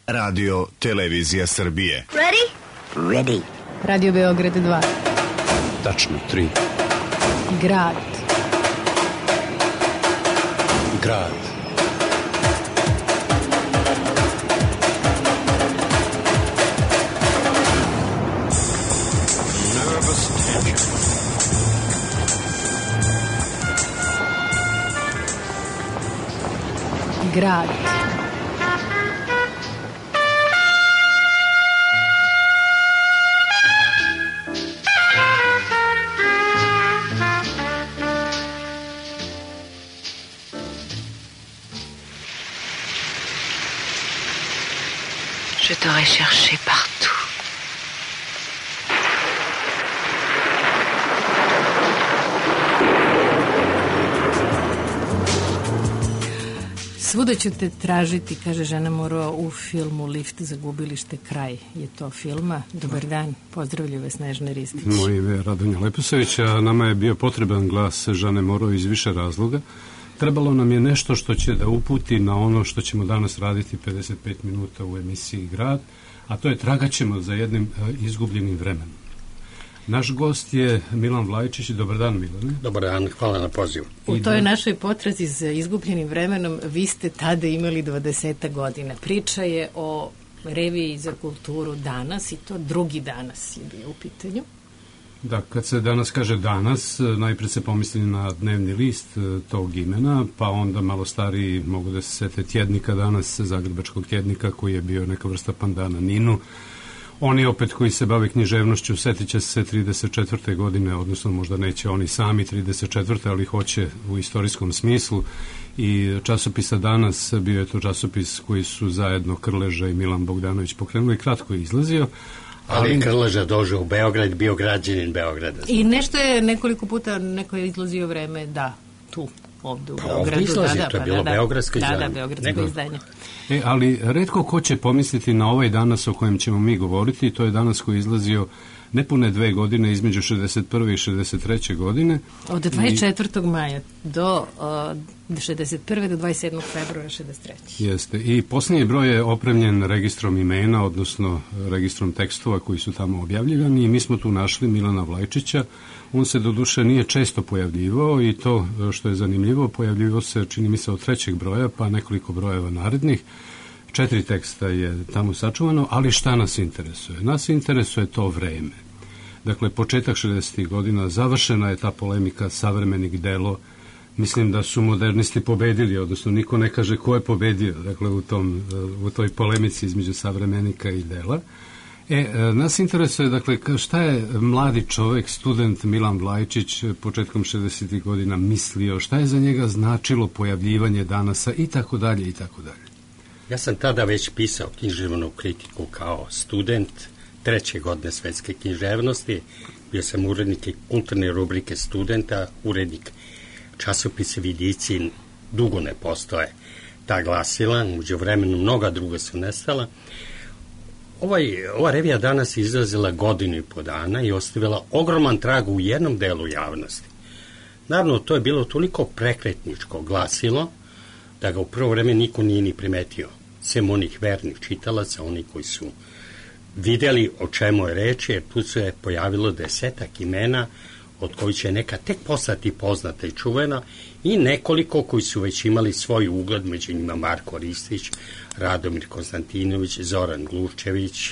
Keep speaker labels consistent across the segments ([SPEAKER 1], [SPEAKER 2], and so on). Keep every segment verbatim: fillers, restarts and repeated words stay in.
[SPEAKER 1] Radio Televizija Srbije.
[SPEAKER 2] Ready?
[SPEAKER 3] Ready.
[SPEAKER 4] Radio Beograd dva.
[SPEAKER 5] Tačno tri.
[SPEAKER 4] Grad.
[SPEAKER 5] Grad.
[SPEAKER 6] Nervous tension.
[SPEAKER 4] Grad.
[SPEAKER 7] Je t'aurais cherché partout.
[SPEAKER 4] Svuda ću te tražiti, kaže Žana Moro u filmu Lift za gubilište, kraj je to filma. Dobar dan, pozdravlju vas Snežana Ristić.
[SPEAKER 5] Moje ime je Radonja Leposavić, a nama je bio potreban glas Žane Moro iz više razloga. Trebalo nam je nešto što će da uputi na ono što ćemo danas raditi pedeset pet minuta u emisiji Grad, a to je tragaćemo za jednim izgubljenim vremenom. Naš gost je Milan Vlajčić. Dobar dan, Milane.
[SPEAKER 3] Dobar dan, hvala na pozivu.
[SPEAKER 4] U toj našoj potrazi za izgubljenim vremenom vi ste tada imali dvadeset godina. Priča je o reviji za kulturu Danas i to drugi Danas je bio u pitanju.
[SPEAKER 5] Da, kad se danas kaže Danas, najpre se pomisli na dnevni list tog imena, pa onda malo stariji mogu da se sete tjednika Danas, zagrebačkog tjednika koji je bio neka vrsta pandana Ninu. Oni opet koji se bave književnošću setit će se trideset četvrte godine, odnosno možda neće oni sami trideset četvrte, ali hoće u istorijskom smislu. I časopisa Danas bio je to časopis koji su zajedno Krleža i Milan Bogdanović pokrenuli, kratko je izlazio.
[SPEAKER 3] Ali, ali Krleža došao u Beograd, bio građanin Beograda.
[SPEAKER 4] I nešto je nekoliko puta, neko je izlazio vreme, da, tu, ovde u
[SPEAKER 3] pa,
[SPEAKER 4] Beogradu.
[SPEAKER 3] Ovdje izlazi,
[SPEAKER 4] da, da,
[SPEAKER 3] to je
[SPEAKER 4] pa,
[SPEAKER 3] bilo
[SPEAKER 4] da,
[SPEAKER 3] beogradsko izdanje.
[SPEAKER 4] Da, da, beogradsko
[SPEAKER 3] Nego...
[SPEAKER 4] izdanje.
[SPEAKER 5] E, ali retko ko će pomisliti na ovaj Danas o kojem ćemo mi govoriti, to je Danas koji je izlazio nepune dve godine, između šezdeset prve i šezdeset treće godine.
[SPEAKER 4] Od dvadeset četvrtog maja do uh, šezdeset prve do dvadeset sedmog februara šezdeset treće.
[SPEAKER 5] Jeste. I posljednji broj je opremljen registrom imena, odnosno registrom tekstova koji su tamo objavljivani i mi smo tu našli Milana Vlajčića. On se doduše nije često pojavljivao i to što je zanimljivo, pojavljivao se čini mi se od trećeg broja pa nekoliko brojeva narednih. Četiri teksta je tamo sačuvano, ali šta nas interesuje? Nas interesuje to vreme. Dakle, početak šezdesetih godina, završena je ta polemika savremenik delo. Mislim da su modernisti pobedili, odnosno niko ne kaže ko je pobedio, dakle, u, tom, u toj polemici između savremenika i dela. E, nas interesuje, dakle, šta je mladi čovek, student Milan Vlajčić početkom šezdesetih godina mislio, šta je za njega značilo pojavljivanje Danasa i tako dalje i tako dalje.
[SPEAKER 3] Ja sam tada već pisao književnu kritiku kao student treće godine svetske književnosti. Bio sam urednik kulturne rubrike studenta, urednik časopisa Vidici, dugo ne postoje ta glasila, uđe vremenu mnoga druga su nestala. Ovaj, ova revija Danas izlazila godinu i po dana i ostavila ogroman trag u jednom delu javnosti. Naravno, to je bilo toliko prekretničko glasilo da ga u prvo vreme niko nije ni primetio, sem onih vernih čitalaca, oni koji su videli o čemu je reč, jer tu se pojavilo desetak imena, od kojih će neka tek postati poznata i čuvena, i nekoliko koji su već imali svoj ugled, među njima Marko Ristić, Radomir Konstantinović, Zoran Gluščević,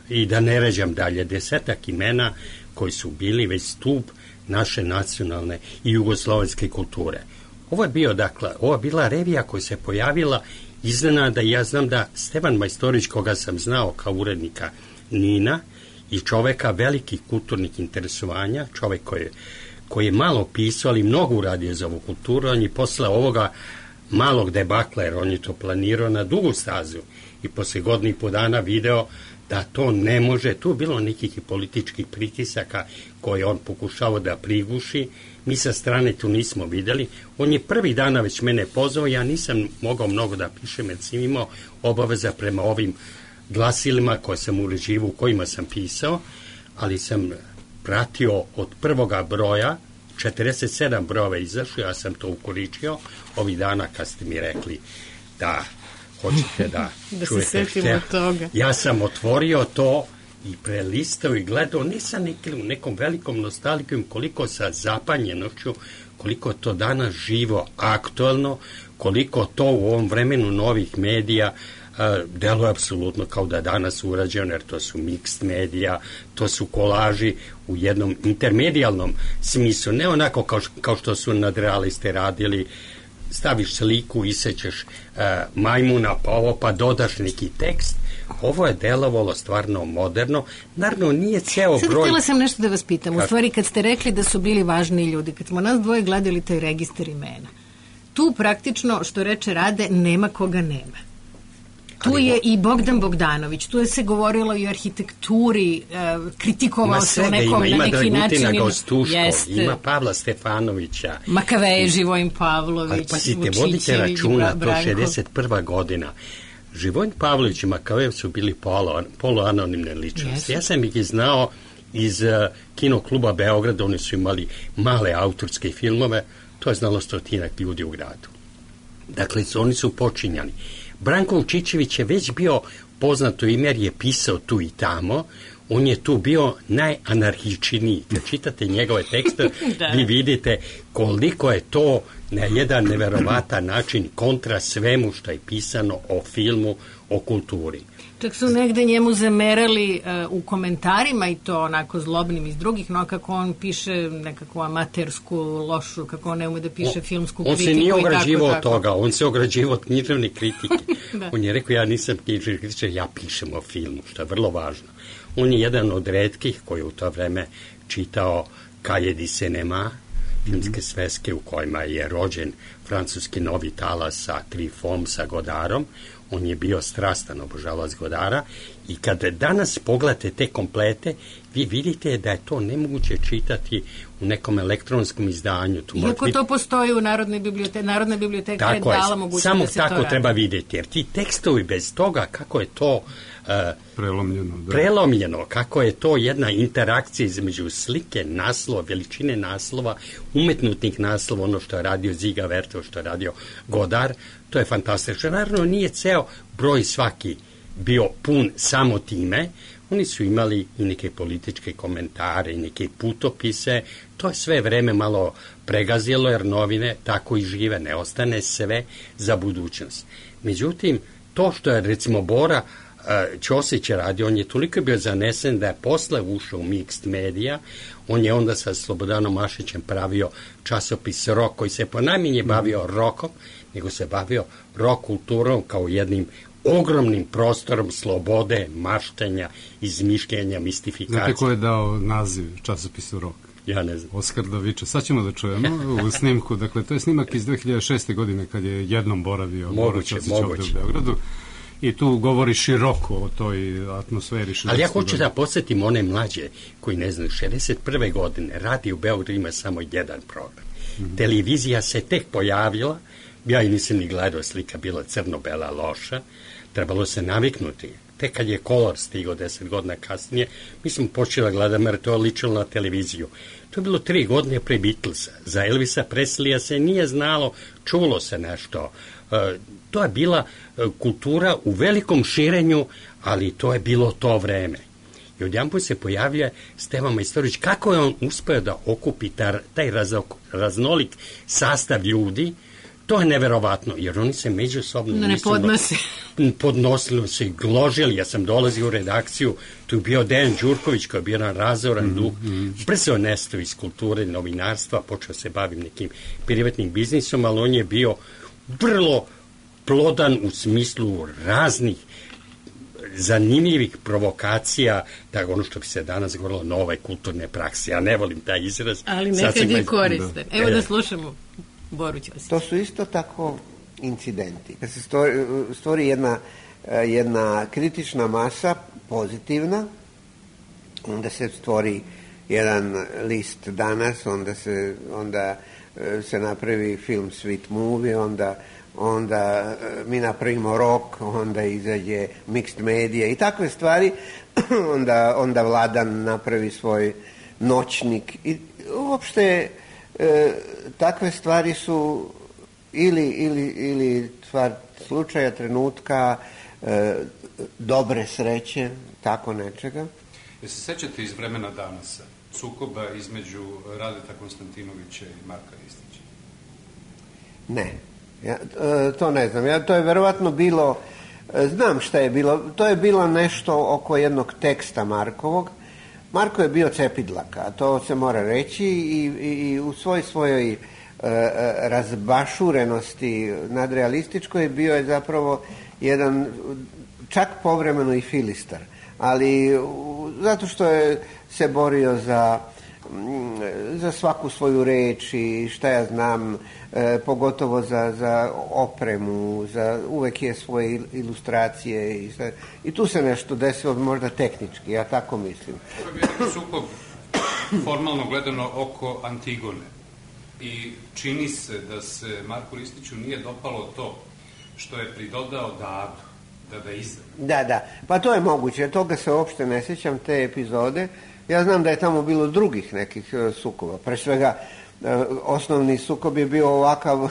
[SPEAKER 3] i da ne ređam dalje, desetak imena koji su bili već stup naše nacionalne i jugoslovenske kulture. Ovo je bio, dakle, ovo je bila revija koja se pojavila iznenada. Ja znam da Stevan Majstorić, koga sam znao kao urednika Nina i čoveka velikih kulturnih interesovanja, čovek koji je, koji je malo pisao, ali mnogo uradio za ovu kulturu, on je posle ovoga malog debakla, jer on je to planirao na dugu stazu i posle godinu i po dana video da to ne može, tu je bilo nekih i političkih pritisaka koje on pokušao da priguši. Mi sa strane tu nismo videli. On je prvi dana već mene pozvao, ja nisam mogao mnogo da pišem, jer sam imao obaveza prema ovim glasilima koje sam uređivao, u kojima sam pisao, ali sam pratio od prvoga broja, četrdeset sedam brojeva izašlo, ja sam to ukoričio ovih dana kad ste mi rekli da Hoćete da,
[SPEAKER 4] da
[SPEAKER 3] čujete
[SPEAKER 4] se setimo
[SPEAKER 3] šta?
[SPEAKER 4] toga.
[SPEAKER 3] Ja sam otvorio to i prelistao i gledao, ne sa nekim, nekom velikom nostalgijom, koliko sa zapanjenošću, koliko to danas živo, aktualno, koliko to u ovom vremenu novih medija deluje apsolutno kao da je danas urađeno, jer to su mixed medija, to su kolaži u jednom intermedijalnom smislu, ne onako kao, kao što su nadrealiste radili, staviš sliku, isećeš uh, majmuna, pa ovo, pa dodaš neki tekst. Ovo je delovalo stvarno moderno. Naravno, nije ceo
[SPEAKER 4] Sad
[SPEAKER 3] broj...
[SPEAKER 4] Sad htjela sam nešto da vas pitam.
[SPEAKER 3] Kako?
[SPEAKER 4] U stvari, kad ste rekli da su bili važni ljudi, kad smo nas dvoje gledali taj registar imena, tu praktično, što reče Rade, nema koga nema. Tu je i Bogdan Bogdanović, tu je se govorilo i o arhitekturi, kritikovao se u nekom,
[SPEAKER 3] ima,
[SPEAKER 4] na neki
[SPEAKER 3] ima
[SPEAKER 4] način.
[SPEAKER 3] Ima Gostuško,
[SPEAKER 4] jest,
[SPEAKER 3] ima Pavla Stefanovića.
[SPEAKER 4] Makaveje, Živojin Pavlović,
[SPEAKER 3] ali pazite,
[SPEAKER 4] Vučićević,
[SPEAKER 3] vodite računa,
[SPEAKER 4] Branko.
[SPEAKER 3] to šezdeset prva godina. Živojin Pavlović i Makavejev su bili polo, poluanonimne ličnosti. Yes. Ja sam ih znao iz uh, Kino kluba Beograda, oni su imali male autorske filmove, to je znalo stotinak ljudi u gradu. Dakle, oni su počinjani. Branko Vučićević je već bio poznato ime jer je pisao tu i tamo, on je tu bio najanarhičniji. Kad čitate njegove tekste, da. Vi vidite koliko je to na jedan neverovatan način kontra svemu što je pisano o filmu, o kulturi.
[SPEAKER 4] Čak su negde njemu zamerali uh, u komentarima i to onako zlobnim iz drugih, no kako on piše nekakvu amatersku, lošu, kako on ne ume da piše on, filmsku
[SPEAKER 3] on
[SPEAKER 4] kritiku.
[SPEAKER 3] On se nije
[SPEAKER 4] i
[SPEAKER 3] ograđivao
[SPEAKER 4] tako,
[SPEAKER 3] od toga, on se ograđivao od književne kritike.
[SPEAKER 4] Da. On
[SPEAKER 3] je rekao, ja nisam književni kritičar, ja pišem o filmu, što je vrlo važno. On je jedan od retkih koji je u to vreme čitao Cahiers du Cinema, filmske sveske u kojima je rođen francuski novi talas sa Trifom, sa Godarom. On je bio strastan obožavac Godara i kada danas pogledate te komplete, vi vidite da je to nemoguće čitati u nekom elektronskom izdanju. Tu
[SPEAKER 4] Iako
[SPEAKER 3] biti...
[SPEAKER 4] to postoji u Narodnoj biblioteci, Narodna biblioteka tako je dala mogućnost da se to radi.
[SPEAKER 3] Samo tako treba vidjeti, jer ti tekstovi bez toga kako je to uh,
[SPEAKER 5] prelomljeno, da.
[SPEAKER 3] prelomljeno, kako je to jedna interakcija između slike, naslova, veličine naslova, umetnutnih naslova, ono što je radio Ziga Vertov, što je radio Godar, to je fantastično. Naravno, nije ceo broj svaki bio pun samo time, oni su imali i neke političke komentare i neke putopise, to je sve vreme malo pregazilo, jer novine tako i žive, ne ostane sve za budućnost. Međutim, to što je recimo Bora Ćosić je radio, on je toliko bio zanesen da je posle ušao u mixed medija, on je onda sa Slobodanom Mašićem pravio časopis Rok, koji se ponajmanje bavio rokom, nego se bavio rock kulturom kao jednim ogromnim prostorom slobode, maštanja, izmišljenja, mistifikacije.
[SPEAKER 5] Znate ko je dao naziv časopisu Rok?
[SPEAKER 3] Ja ne znam.
[SPEAKER 5] Oskar Daviča. Sad ćemo da čujemo u snimku. Dakle, to je snimak iz dve hiljade šeste. godine kad je jednom boravio Bora Ćosić ovde u Beogradu. I tu govori široko o toj atmosferi.
[SPEAKER 3] Ali ja hoću da podsjetim one mlađe koji ne znaju, šezdeset prve. godine radi u Beogradu ima samo jedan program. Mm-hmm. Televizija se tek pojavila, ja i nisam ni gledao, slika bila crno-bela, loša, trebalo se naviknuti. Tek kad je Color stigao deset godina kasnije, mi smo počeli da gledamo jer to je ličilo na televiziju. To je bilo tri godine pre Beatlesa. Za Elvisa Preslija se nije znalo, čulo se nešto. E, to je bila e, kultura u velikom širenju, ali to je bilo to vreme. I odjedanput se pojavlja Stevan Majstorović, kako je on uspeo da okupi tar, taj razok, raznolik sastav ljudi. To je neverovatno, jer oni se međusobno
[SPEAKER 4] no, ne podnose.
[SPEAKER 3] podnosili se i gložili. Ja sam dolazio u redakciju, tu je bio Dejan Đurković koji je bio jedan razoran mm-hmm. duh, brzo nestao iz kulture, novinarstva, počeo se bavim nekim privatnim biznisom, ali on je bio vrlo plodan u smislu raznih zanimljivih provokacija, tako ono što bi se danas govorilo nove kulturne prakse. Ja ne volim taj izraz.
[SPEAKER 4] Ali nekad je koristan. Evo e, da slušamo Boru Ćosića.
[SPEAKER 2] To su isto tako incidenti. Kad se stvori, stvori jedna, jedna kritična masa, pozitivna, onda se stvori jedan list danas, onda se, onda se napravi film Sweet Movie, onda, onda mi napravimo rock, onda izađe mixed media i takve stvari, onda, onda Vladan napravi svoj noćnik i uopšte e, takve stvari su ili, ili, ili stvar slučaja, trenutka, e, dobre sreće, tako nečega.
[SPEAKER 5] Jel se sećate iz vremena Danasa sukoba između Radeta Konstantinovića i Marka Ristića?
[SPEAKER 2] Ne, ja, e, to ne znam. Ja, to je verovatno bilo, e, znam šta je bilo, to je bilo nešto oko jednog teksta Markovog. Marko je bio cepidlaka, a to se mora reći, i, i, i u svoj svojoj e, razbašurenosti nadrealističkoj bio je zapravo jedan, čak povremeno i filistar, ali u, zato što je se borio za, za svaku svoju reč i šta ja znam, e, pogotovo za, za opremu, za, uvek je svoje ilustracije i, sve, i tu se nešto desilo možda tehnički, ja tako mislim.
[SPEAKER 5] To je bio sukob formalno gledano oko Antigone i čini se da se Marku Ristiću nije dopalo to što je pridodao Dadu, da da izda.
[SPEAKER 2] Da, da, pa to je moguće, toga se uopšte ne sjećam, te epizode. Ja znam da je tamo bilo drugih nekih uh, sukoba. Pre svega, uh, osnovni sukob je bio ovakav uh,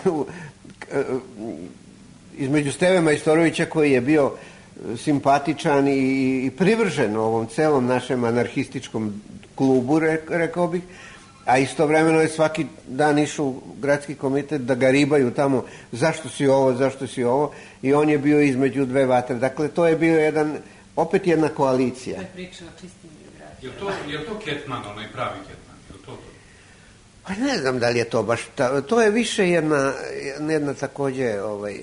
[SPEAKER 2] između Steve Majstorovića, koji je bio simpatičan i, i privržen ovom celom našem anarhističkom klubu, re, rekao bih, a istovremeno je svaki dan išao u gradski komitet da ga ribaju tamo, zašto si ovo, zašto si ovo, i on je bio između dve vatre. Dakle, to je bio jedan, opet jedna koalicija.
[SPEAKER 4] To je priča o čistim biografijama.
[SPEAKER 5] Je to, je to Ketman, onaj pravi Ketman? Je to to?
[SPEAKER 2] Pa ne znam da li je to baš, ta, to je više jedna, jedna takođe, ovaj,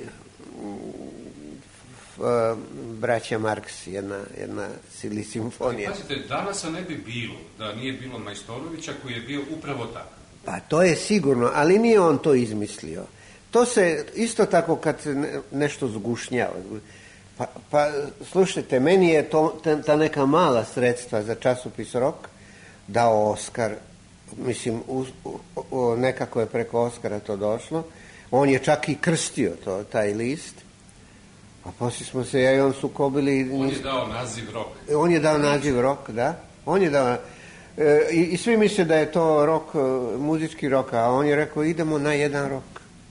[SPEAKER 2] braća Marks, jedna, jedna ili simfonija.
[SPEAKER 5] Pazite, Danasa ne bi bilo da nije bilo Majstorovića, koji je bio upravo tako.
[SPEAKER 2] Pa to je sigurno, ali nije on to izmislio. To se isto tako kad se ne, nešto zgušnjava. Pa, pa slušajte, meni je to, ta neka mala sredstva za časopis Rok dao Oskar, mislim, u, u, nekako je preko Oskara to došlo. On je čak i krstio to, taj list. A poslije smo se ja i on sukobili.
[SPEAKER 5] On je dao naziv Rok.
[SPEAKER 2] On je dao naziv Rok, da. On je dao... E, i, I svi misle da je to rok, muzički rok, a on je rekao idemo na jedan rok.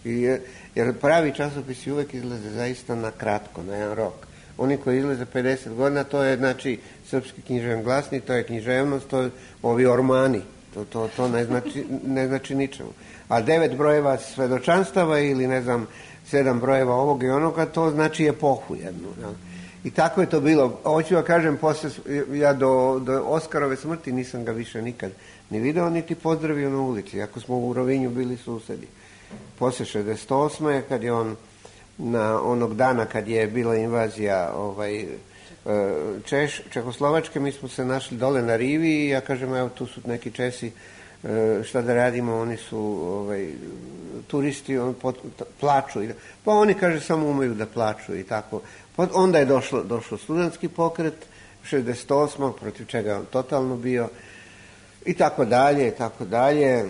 [SPEAKER 2] I, jer pravi časopisi uvek izlaze zaista na kratko, na jedan rok. Oni koji izlaze pedeset godina, to je znači Srpski književni glasnik, to je književnost, to je ovi ormani. To, to, to ne, znači, ne znači ničemu. A devet brojeva svedočanstava ili ne znam, sedam brojeva ovog i onoga, to znači epohu jednu. Ja. I tako je to bilo. Hoću da kažem, posle, ja do, do Oskarove smrti nisam ga više nikad ni video, niti pozdravio na ulici, ako smo u Rovinju bili susedi. Posle šezdeset osme kad je on, na onog dana kad je bila invazija ovaj, Češ, Čehoslovačke, mi smo se našli dole na rivi i ja kažem, evo tu su neki Česi, šta da radimo, oni su ovaj, turisti, on pot, plaču. Pa oni, kaže, samo umeju da plaču i tako. Onda je došlo, došlo studentski pokret, šezdeset osme protiv čega je on totalno bio, i tako dalje, i tako dalje.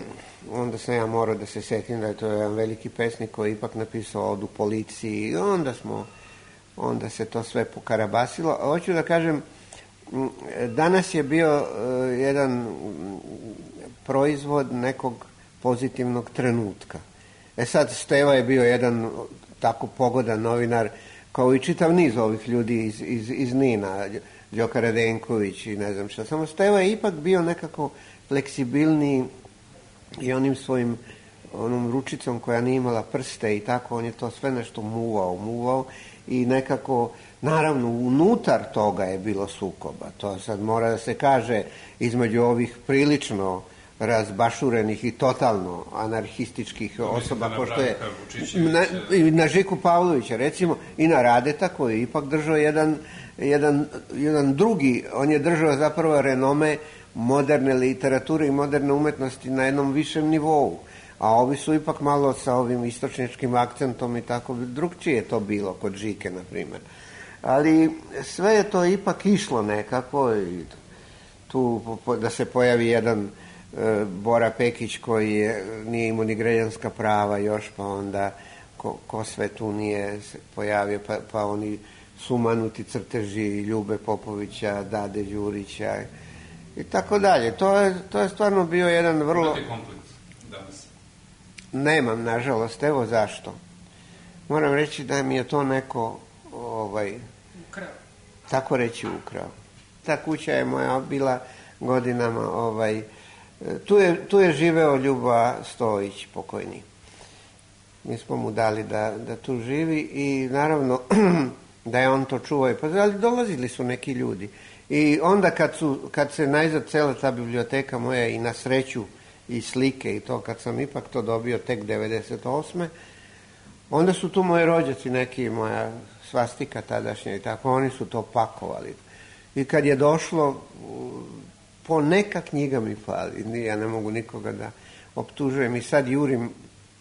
[SPEAKER 2] Onda sam ja morao da se setim da je to jedan veliki pesnik koji je ipak napisao Odu policiji i onda smo, onda se to sve pokarabasilo. Hoću da kažem, danas je bio uh, jedan proizvod nekog pozitivnog trenutka. E sad, Steva je bio jedan tako pogodan novinar, kao i čitav niz ovih ljudi iz, iz, iz Nina, Đoka Radenković i ne znam šta. Samo Steva je ipak bio nekako fleksibilniji i onim svojim onom ručicom koja nije imala prste i tako, on je to sve nešto muvao, muvao i nekako, naravno, unutar toga je bilo sukoba. To sad mora da se kaže između ovih prilično razbašurenih i totalno anarhističkih osoba, pošto je na, na Žiku Pavlovića, recimo, i na Radeta, koji je ipak držao jedan, jedan, jedan drugi, on je držao zapravo renome moderne literature i moderne umetnosti na jednom višem nivou, a ovi su ipak malo sa ovim istočničkim akcentom i tako, drugčije je to bilo kod Žike, na primjer. Ali sve je to ipak išlo nekako i tu da se pojavi jedan e, Bora Pekić koji je, nije imao ni građanska prava još, pa onda ko, ko sve tu nije se pojavio, pa, pa oni sumanuti crteži Ljube Popovića, Dade Đurića i tako dalje. To je, to je stvarno bio jedan vrlo...
[SPEAKER 5] Imate kompleks danas?
[SPEAKER 2] Nemam, nažalost, evo zašto. moram reći da mi je to neko ovaj, ukrao. Tako reći ukrao. Ta kuća je moja bila godinama, ovaj, tu je, tu je živeo Ljuba Stojić, pokojni. Mi smo mu dali da, da tu živi i naravno da je on to čuvao. Pa, ali dolazili su neki ljudi. I onda kad, su, kad se najzad cela ta biblioteka moja i na sreću i slike i to, kad sam ipak to dobio tek devedeset osme onda su tu moji rođaci, neki moja svastika tadašnja i tako, oni su to pakovali. I kad je došlo, po neka knjiga mi fali, ja ne mogu nikoga da optužujem i sad jurim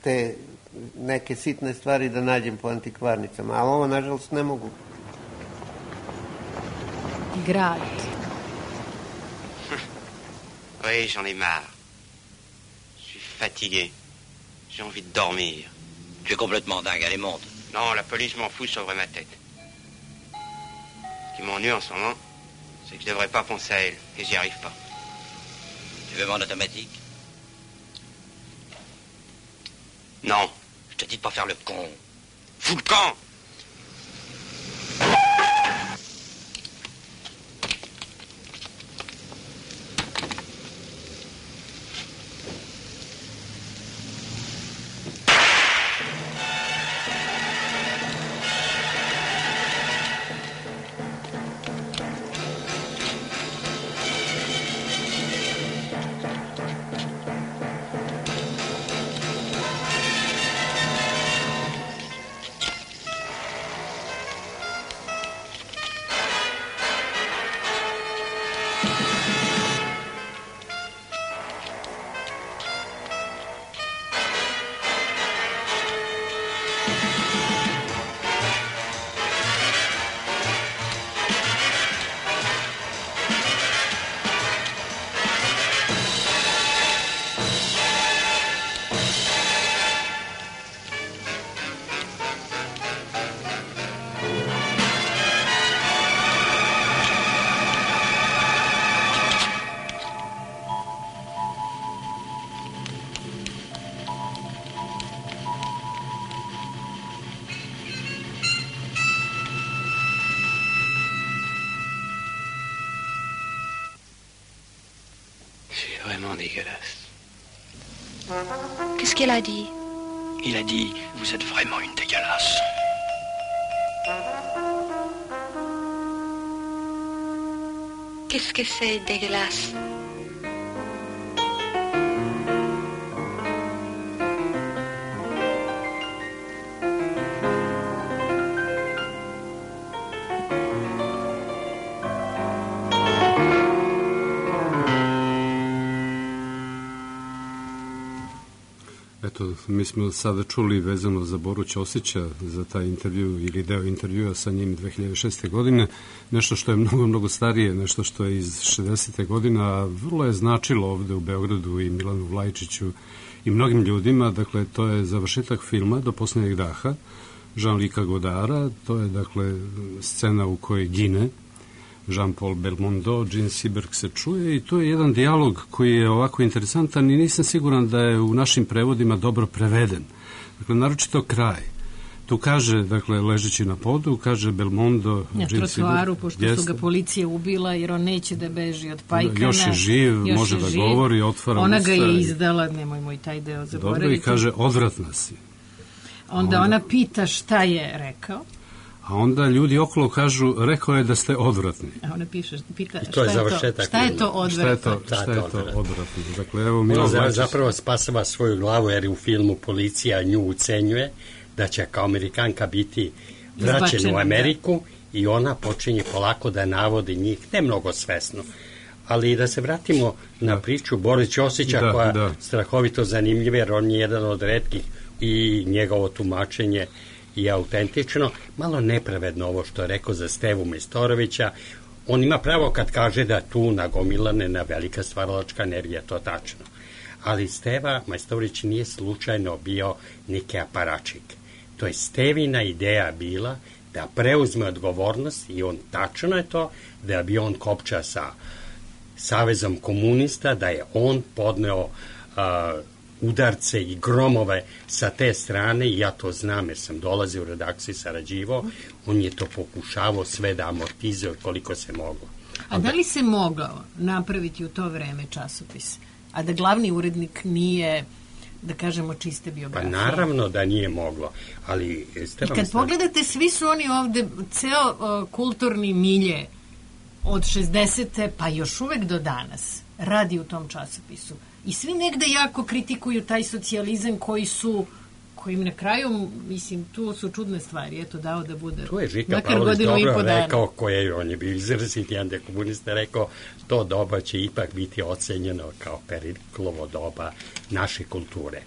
[SPEAKER 2] te neke sitne stvari da nađem po antikvarnicama, ali ovo nažalost ne mogu.
[SPEAKER 4] Grad.
[SPEAKER 8] Oui, j'en ai marre. Je suis fatigué. J'ai envie de dormir.
[SPEAKER 9] Tu es complètement dingue, allez, monte.
[SPEAKER 8] Non, la police m'en fout sur ma tête. Ce qui m'ennuie en ce moment, c'est que je devrais pas penser à elle, et j'y arrive pas.
[SPEAKER 9] Tu veux mon automatique?
[SPEAKER 8] Non.
[SPEAKER 9] Je te dis de pas faire le con.
[SPEAKER 8] Fous le camp!
[SPEAKER 9] Dégueulasse.
[SPEAKER 7] Qu'est-ce qu'elle a dit?
[SPEAKER 9] Il a dit, vous êtes vraiment une dégueulasse.
[SPEAKER 7] Qu'est-ce que c'est dégueulasse?
[SPEAKER 5] Eto, mi smo sada čuli vezano za Boru Ćosića, za taj intervju ili deo intervjua sa njim dve hiljade šeste. godine, nešto što je mnogo, mnogo starije, nešto što je iz šezdesete. godine, a vrlo je značilo ovde u Beogradu i Milanu Vlajčiću i mnogim ljudima. Dakle, to je završetak filma Do poslednjeg daha Jean-Luca Godara. To je, dakle, scena u kojoj gine Jean-Paul Belmondo, Gene Seberg se čuje i to je jedan dijalog koji je ovako interesantan i nisam siguran da je u našim prevodima dobro preveden. Dakle, naročito kraj. Tu kaže, dakle, ležeći na podu, kaže Belmondo...
[SPEAKER 4] Na trotoaru, pošto jest, su ga policija ubila, jer on neće da beži od Pajkana.
[SPEAKER 5] Još je živ, još može je da živ. govori, otvara
[SPEAKER 4] Ona
[SPEAKER 5] usta.
[SPEAKER 4] ga je izdala, nemojmo i taj deo zaboraviti.
[SPEAKER 5] Dobro, i kaže, odvratna si.
[SPEAKER 4] Onda ona pita šta je rekao.
[SPEAKER 5] A onda ljudi okolo kažu, rekao je da ste odvratni.
[SPEAKER 4] A ona piše, pita,
[SPEAKER 3] I to je završetak.
[SPEAKER 4] Šta je to odvratno?
[SPEAKER 5] Šta je to, šta je to odvratno? Dakle, evo,
[SPEAKER 3] Milo Vlajčić zapravo spasava svoju glavu, jer u filmu policija nju ucenjuje da će kao Amerikanka biti vraćena u Ameriku da. I ona počinje polako da navodi njih, ne mnogo svesno. Ali da se vratimo na priču Boris Ćosića, da, koja je strahovito zanimljiva, jer on je jedan od retkih i njegovo tumačenje je autentično, malo nepravedno ovo što je rekao za Stevu Majstorovića. On ima pravo kad kaže da tu nagomilane na velika stvaralačka energija, to tačno. Ali Steva Majstorović nije slučajno bio neki aparačik. To je Stevina ideja bila da preuzme odgovornost i on tačno je to da je bio on kopča sa Savezom komunista, da je on podneo uh, udarce i gromove sa te strane, i ja to znam jer sam dolazio u redakciju, sarađivao, on je to pokušavao sve da amortizuje koliko se moglo.
[SPEAKER 4] A da li se mogao napraviti u to vreme časopis, a da glavni urednik nije, da kažemo, čiste biografije?
[SPEAKER 3] Pa naravno da nije moglo, ali...
[SPEAKER 4] I kad pogledate, svi su oni ovde, ceo uh, kulturni milje od šezdesete pa još uvek do danas radi u tom časopisu. I svi negde jako kritikuju taj socijalizam koji su, kojim na kraju, mislim, tu su čudne stvari, eto, dao da bude.
[SPEAKER 3] Tu je Žika Pavlović dobro rekao, koje on je bio izrazit, jedan dekomunista rekao, to doba će ipak biti ocenjeno kao Periklovo doba naše kulture.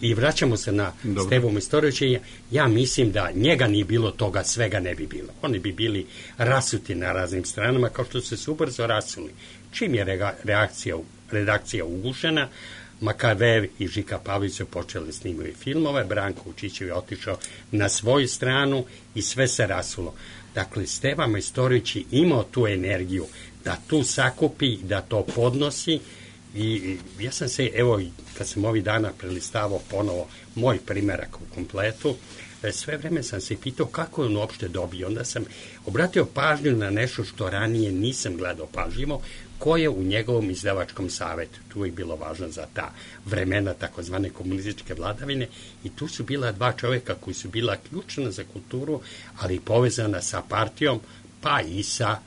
[SPEAKER 3] I vraćamo se na Stevu Majstorovića. Ja mislim da njega nije bilo, toga svega ne bi bilo. Oni bi bili rasuti na raznim stranama, kao što su se ubrzo rasuli. Čim je reakcija, redakcija ugušena, Makavev i Žika Pavlović su počeli snimati filmove, Branko Vučićev je otišao na svoju stranu i sve se rasulo. Dakle, Steva Majstorović je imao tu energiju da tu sakupi, da to podnosi. I ja sam se, evo, kad sam ovih dana prelistavao ponovo moj primerak u kompletu, sve vreme sam se pitao kako je on uopšte dobio. Onda sam obratio pažnju na nešto što ranije nisam gledao pažljivo, ko je u njegovom izdavačkom savetu. Tu je bilo važno za ta vremena takozvane komunističke vladavine i tu su bila dva čovjeka koji su bila ključna za kulturu, ali povezana sa partijom, pa i sa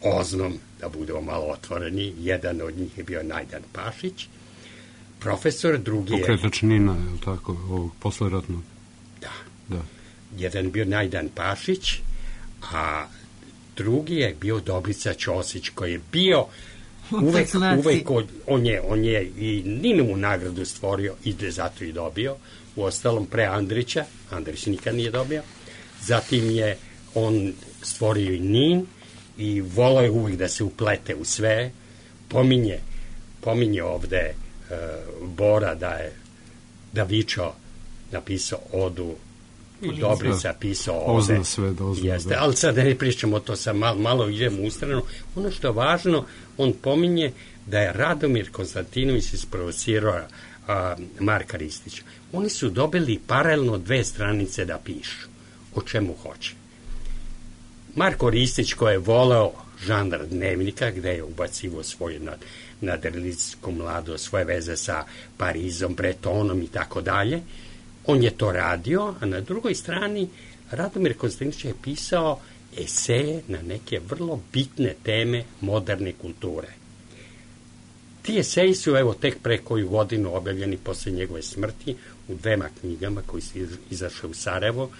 [SPEAKER 3] Oznom, da budemo malo otvoreni. Jedan od njih je bio Najdan Pašić, profesor, drugi je...
[SPEAKER 5] Pokretač Nina, je li tako, ovog posleratnog?
[SPEAKER 3] Da.
[SPEAKER 5] da.
[SPEAKER 3] Jedan je bio Najdan Pašić, a drugi je bio Dobrica Ćosić, koji je bio uvek, uvek on, je, on je i Ninovu nagradu stvorio i zato i dobio, u ostalom pre Andrića, Andrić nikad nije dobio, zatim je on stvorio i Nin, i volao je uvijek da se uplete u sve, pominje, pominje ovde uh, Bora da je da Vičo napisao odu i Dobrica pisao ovde.
[SPEAKER 5] Ozna sve, dozna,
[SPEAKER 3] jeste,
[SPEAKER 5] da.
[SPEAKER 3] Ali sad ne pričamo to, sad malo, malo idemo u stranu. Ono što je važno, on pominje da je Radomir Konstantinović isprovocirao uh, Marka Ristića. Oni su dobili paralelno dve stranice da pišu o čemu hoće. Marko Ristić, koji je voleo žanr dnevnika, gde je ubacivo svoju nad, nadrealizijsku mladost, svoje veze sa Parizom, Bretonom i tako dalje, on je to radio, a na drugoj strani Radomir Konstantinović je pisao eseje na neke vrlo bitne teme moderne kulture. Ti eseji su, evo, tek pre koju godinu objavljeni posle njegove smrti u dvema knjigama koji su izašle u Sarajevo.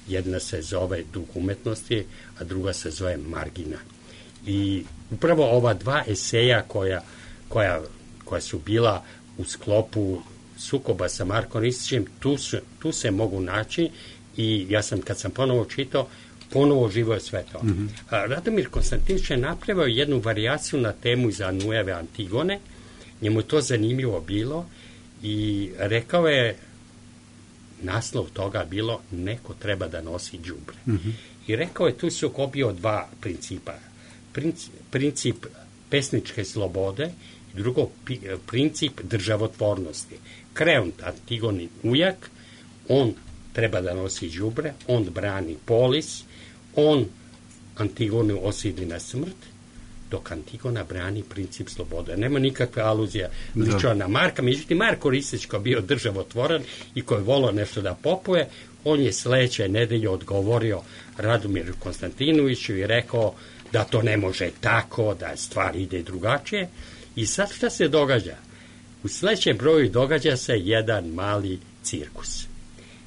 [SPEAKER 3] Jedna se zove Duh umetnosti, a druga se zove Margina. I upravo ova dva eseja koja, koja, koja su bila u sklopu sukoba sa Markom Ristićem, tu, su, tu se mogu naći i ja sam, kad sam ponovo čitao, ponovo živo je sve to. Mm-hmm. Radomir Konstantinović je napravio jednu varijaciju na temu iz Anujeve Antigone, njemu je to zanimljivo bilo i rekao je, naslov toga bilo neko treba da nosi đubre. Mm-hmm. I rekao je, tu se okopio dva principa. Princip, princip pesničke slobode i drugo pi, princip državotvornosti. Kreont, Antigonin ujak, on treba da nosi đubre, on brani polis, on Antigonu osidi na smrt, dok Antigona brani princip slobode. Nema nikakve aluzije ličila na Marka. Međutim, Marko Ristić, koji je bio državotvoran i koji je volao nešto da popuje, on je sledeće nedelje odgovorio Radomiru Konstantinoviću i rekao da to ne može tako, da stvar ide drugačije. I sad šta se događa? U sledećem broju događa se jedan mali cirkus.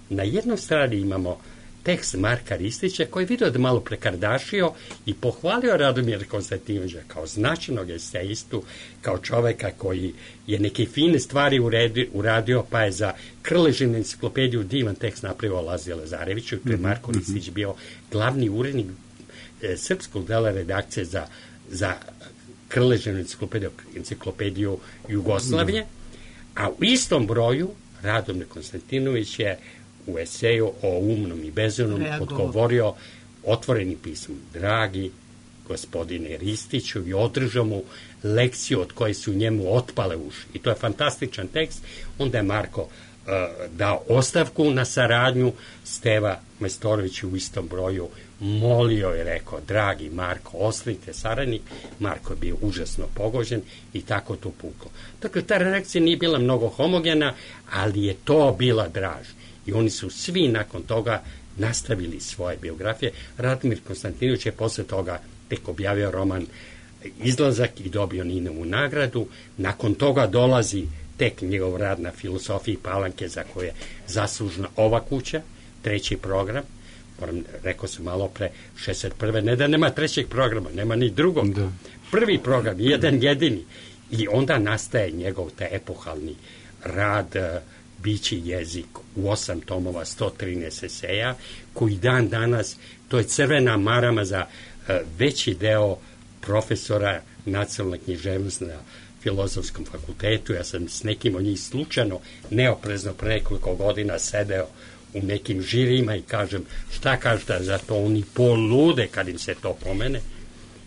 [SPEAKER 3] Na jednoj strani imamo tekst Marka Ristića koji je vidio da malo prekardašio i pohvalio Radomira Konstantinovića kao značajnog esejistu, kao čoveka koji je neke fine stvari uradio, uradio pa je za Krležinu enciklopediju divan tekst napravio Lazije Lazareviću, tu je Marko mm-hmm. Ristić bio glavni urednik e, srpskog dela redakcije za, za Krležinu enciklopediju, enciklopediju Jugoslavije, mm-hmm. a u istom broju Radomir Konstantinović je u eseju o umnom i bezumnom odgovorio otvorenim pismom. Dragi gospodine Ristiću, i održao mu lekciju od koje su njemu otpale uši. I to je fantastičan tekst. Onda je Marko uh, dao ostavku na saradnju. Steva Majstorović u istom broju molio je, rekao, dragi Marko, ostanite saradnik. Marko je bio užasno pogođen i tako to puklo. Dakle, ta reakcija nije bila mnogo homogena, ali je to bila draž. I oni su svi nakon toga nastavili svoje biografije. Radomir Konstantinović je posle toga tek objavio roman Izlazak i dobio Ninovu nagradu. Nakon toga dolazi tek njegov rad na filosofiji Palanke, za koje je zaslužna ova kuća, treći program. Moram, rekao sam malo pre, šezdeset prve ne da nema trećeg programa, nema ni drugog. Da. Prvi program, jedan jedini. I onda nastaje njegov taj epohalni rad Bići jezik u osam tomova, sto trinaest eseja, koji dan danas, to je crvena marama za uh, veći deo profesora nacionalne književnosti na Filozofskom fakultetu. Ja sam s nekim od njih slučajno, neoprezno pre nekoliko godina sedeo u nekim žirima i kažem, šta kažete za to, oni polude kad im se to pomene.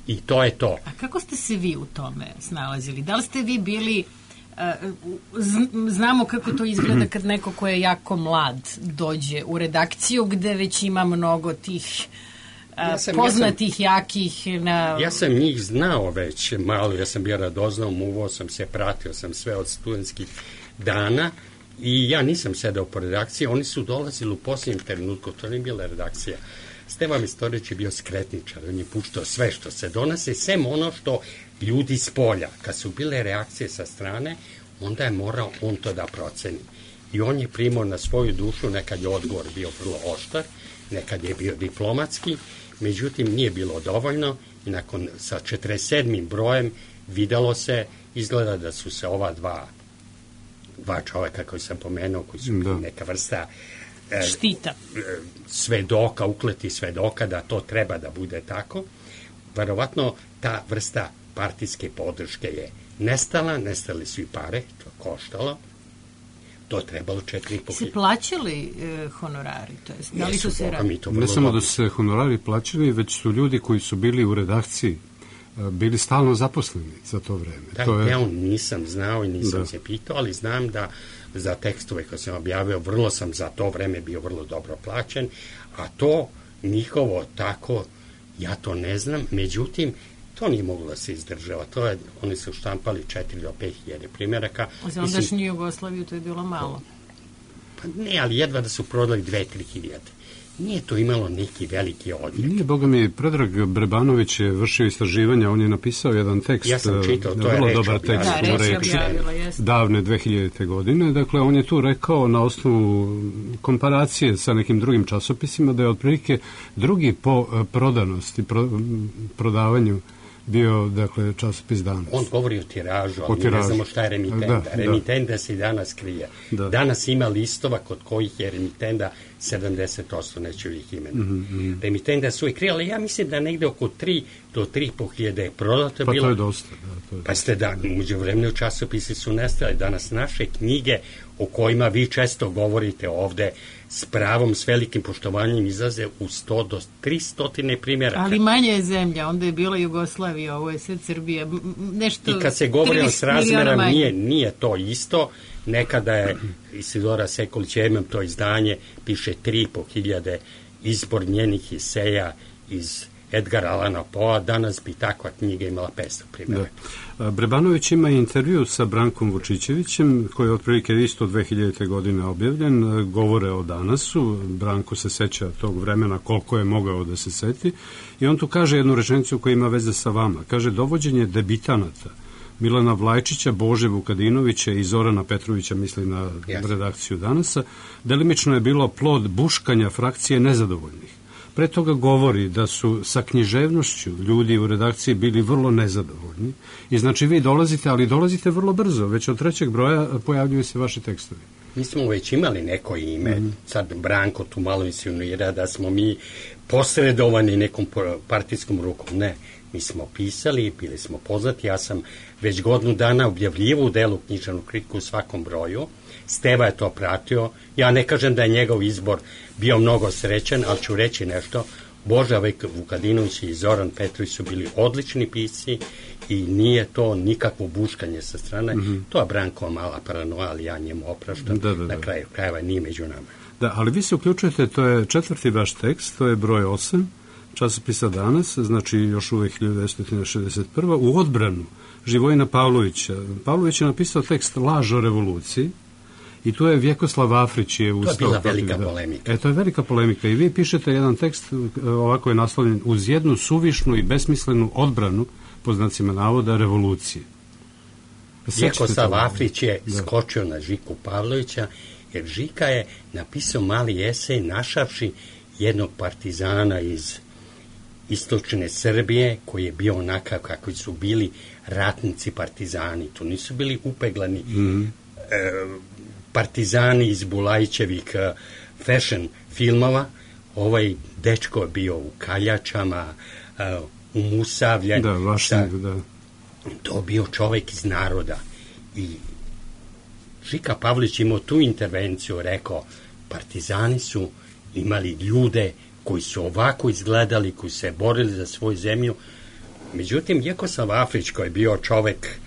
[SPEAKER 3] I to je to.
[SPEAKER 4] A kako ste se vi u tome snalazili? Da li ste vi bili... Znamo kako to izgleda kad neko ko je jako mlad dođe u redakciju gde već ima mnogo tih ja sam, poznatih, ja sam, jakih na...
[SPEAKER 3] Ja sam njih znao već malo, ja sam bio radoznao, muvao sam se, pratio sam sve od studentskih dana i ja nisam sedao po redakciji, oni su dolazili u posljednjem trenutku, to nije bila redakcija. Steva Majstorović je bio skretničar, on je puštao sve što se donose, sem ono što ljudi s polja. Kad su bile reakcije sa strane, onda je morao on to da proceni. I on je primao na svoju dušu, nekad je odgovor bio vrlo oštar, nekad je bio diplomatski, međutim nije bilo dovoljno i nakon sa četrdeset sedmim brojem videlo se, izgleda da su se ova dva, dva čoveka koji sam pomenuo, koji su da. neka vrsta
[SPEAKER 4] štita.
[SPEAKER 3] Svedoka, ukleti svedoka da to treba da bude tako. Verovatno ta vrsta partijske podrške je nestala, nestali su i pare, to koštalo, to je trebalo četiri i po
[SPEAKER 4] se plaćali e, honorari? To jest, da li su se
[SPEAKER 5] radi? Ne samo da su se honorari plaćali, već su ljudi koji su bili u redakciji bili stalno zaposleni za to vreme.
[SPEAKER 3] Da,
[SPEAKER 5] to je...
[SPEAKER 3] ja nisam znao i nisam da. se pitao, ali znam da za tekstove koje sam objavio, vrlo sam za to vreme bio vrlo dobro plaćen, a to njihovo tako, ja to ne znam, međutim, to nije moglo da se izdržava. To je, oni su štampali četiri do pet hiljade primjeraka.
[SPEAKER 4] Za ondašnju Jugoslaviju to je bilo malo.
[SPEAKER 3] Pa ne, ali jedva da su prodali dve, tri hiljade. Nije to imalo neki veliki odjek.
[SPEAKER 5] Nije, boga mi, Predrag Brebanović je vršio istraživanja, on je napisao jedan tekst.
[SPEAKER 3] Ja sam čitao, to
[SPEAKER 5] vrlo
[SPEAKER 3] je
[SPEAKER 5] dobar tekst
[SPEAKER 4] da, reč objavila,
[SPEAKER 5] davne dve hiljadite. godine. Dakle, on je tu rekao na osnovu komparacije sa nekim drugim časopisima da je otprilike drugi po prodanosti, pro, prodavanju bio, dakle, časopis Danas.
[SPEAKER 3] On govori o tiražu, ali o tiražu. Ne znamo šta je remitenda. Da, remitenda da. se i danas krije. Da. Danas ima listova kod kojih je remitenda sedamdeset posto, neću ih imena. Mm -hmm. Remitenda su i krije, ali ja mislim da negde oko tri do tri i po hiljade je prodato.
[SPEAKER 5] Pa
[SPEAKER 3] bilo.
[SPEAKER 5] to je dosta. Da, to je
[SPEAKER 3] pa ste da, umeđu vremenu časopisi su nestali. Danas naše knjige o kojima vi često govorite ovde s pravom, s velikim poštovanjem izlaze u sto do tristo primjeraka.
[SPEAKER 4] Ali manje je zemlja, onda je bila Jugoslavija, ovo je sve Srbija. Nešto
[SPEAKER 3] i kad se govori o srazmerom, nije, nije to isto. Nekada je Isidora Sekulić, ja imam to izdanje, piše tri i po hiljade izbor njenih eseja iz Edgara Allana Poea, danas bi takva knjiga imala petsto primjeraka.
[SPEAKER 5] Da. Brebanović ima intervju sa Brankom Vučićevićem, koji je otprilike isto dve hiljadite. godine objavljen, govore o Danasu, Branko se seća tog vremena koliko je mogao da se seti, i on tu kaže jednu rečenicu koja ima veze sa vama. Kaže, dovođenje debitanata Milana Vlajčića, Bože Vukadinovića i Zorana Petrovića, misli na yes. redakciju Danasa, delimično je bilo plod buškanja frakcije nezadovoljnih. Pre toga govori da su sa književnošću ljudi u redakciji bili vrlo nezadovoljni i znači vi dolazite, ali dolazite vrlo brzo, već od trećeg broja pojavljuju se vaši tekstovi.
[SPEAKER 3] Mi smo već imali neko ime, mm. sad Branko tu malo insinuira da smo mi posredovani nekom partijskom rukom, ne. Mi smo pisali, bili smo poznati, ja sam već godinu dana objavljivo u delu književnu kritiku u svakom broju, Steva je to pratio, ja ne kažem da je njegov izbor bio mnogo srećan, ali ću reći nešto, Boža Vukadinović i Zoran Petrović su bili odlični pisci i nije to nikakvo buškanje sa strane. Mm-hmm. To je Branko mala paranoja, ali ja njemu opraštam. Da, da, da. Na kraju krajeva nije među nama.
[SPEAKER 5] Da, ali vi se uključujete, to je četvrti vaš tekst, to je broj osam, časopisa Danas, znači još uvek hiljadu devetsto šezdeset prva. u odbranu Živojina Pavlovića. Pavlović je napisao tekst Laž o revoluciji i tu je Vjekoslav Afrić je ustao.
[SPEAKER 3] To je bila velika da. polemika.
[SPEAKER 5] E, to je velika polemika i vi pišete jedan tekst, ovako je naslovljen, uz jednu suvišnu i besmislenu odbranu, po znacima navoda, revolucije.
[SPEAKER 3] Vjekoslav Afrić je da. skočio na Žiku Pavlovića, jer Žika je napisao mali esej našavši jednog partizana iz istočne Srbije, koji je bio onakav kako su bili ratnici partizani. To nisu bili upeglani mm-hmm. e, partizani iz Bulajićevih e, fashion filmova. Ovaj dečko je bio u kaljačama, e, u Musavlje.
[SPEAKER 5] Da, vašnik, da.
[SPEAKER 3] To bio čovek iz naroda. I Žika Pavlić imao tu intervenciju, rekao, partizani su imali ljude koji su ovako izgledali, koji se borili za svoju zemlju. Međutim, Vjekoslav Afrić, koji je bio čovek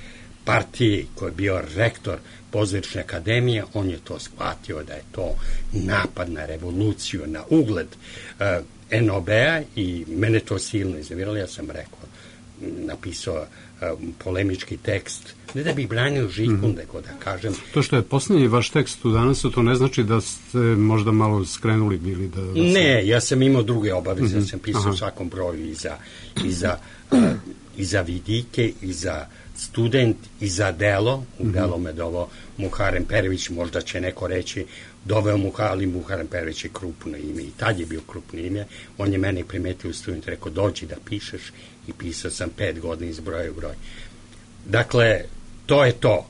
[SPEAKER 3] partije, koji je bio rektor Pozorišne akademije, on je to shvatio da je to napad na revoluciju, na ugled uh, en o be-a i mene to silno iznerviralo. Ja sam rekao, napisao uh, polemički tekst, ne da bih branio Žiku, mm-hmm. nego da kažem...
[SPEAKER 5] To što je posljednji vaš tekst u Danasu, to ne znači da ste možda malo skrenuli bili? Da, da
[SPEAKER 3] ne, se... ja sam imao druge obaveze, mm-hmm. ja sam pisao u svakom broju i za, i za, uh, i za vidike, i za student, i za delo. U mm-hmm. delo me doveo Muharem Perović, možda će neko reći doveo Muha, ali Muharem Perović je krupno ime i tad je bio krupno ime. On je mene primetio u student, rekao dođi da pišeš i pisao sam pet godina iz broja u broj. Dakle, to je to.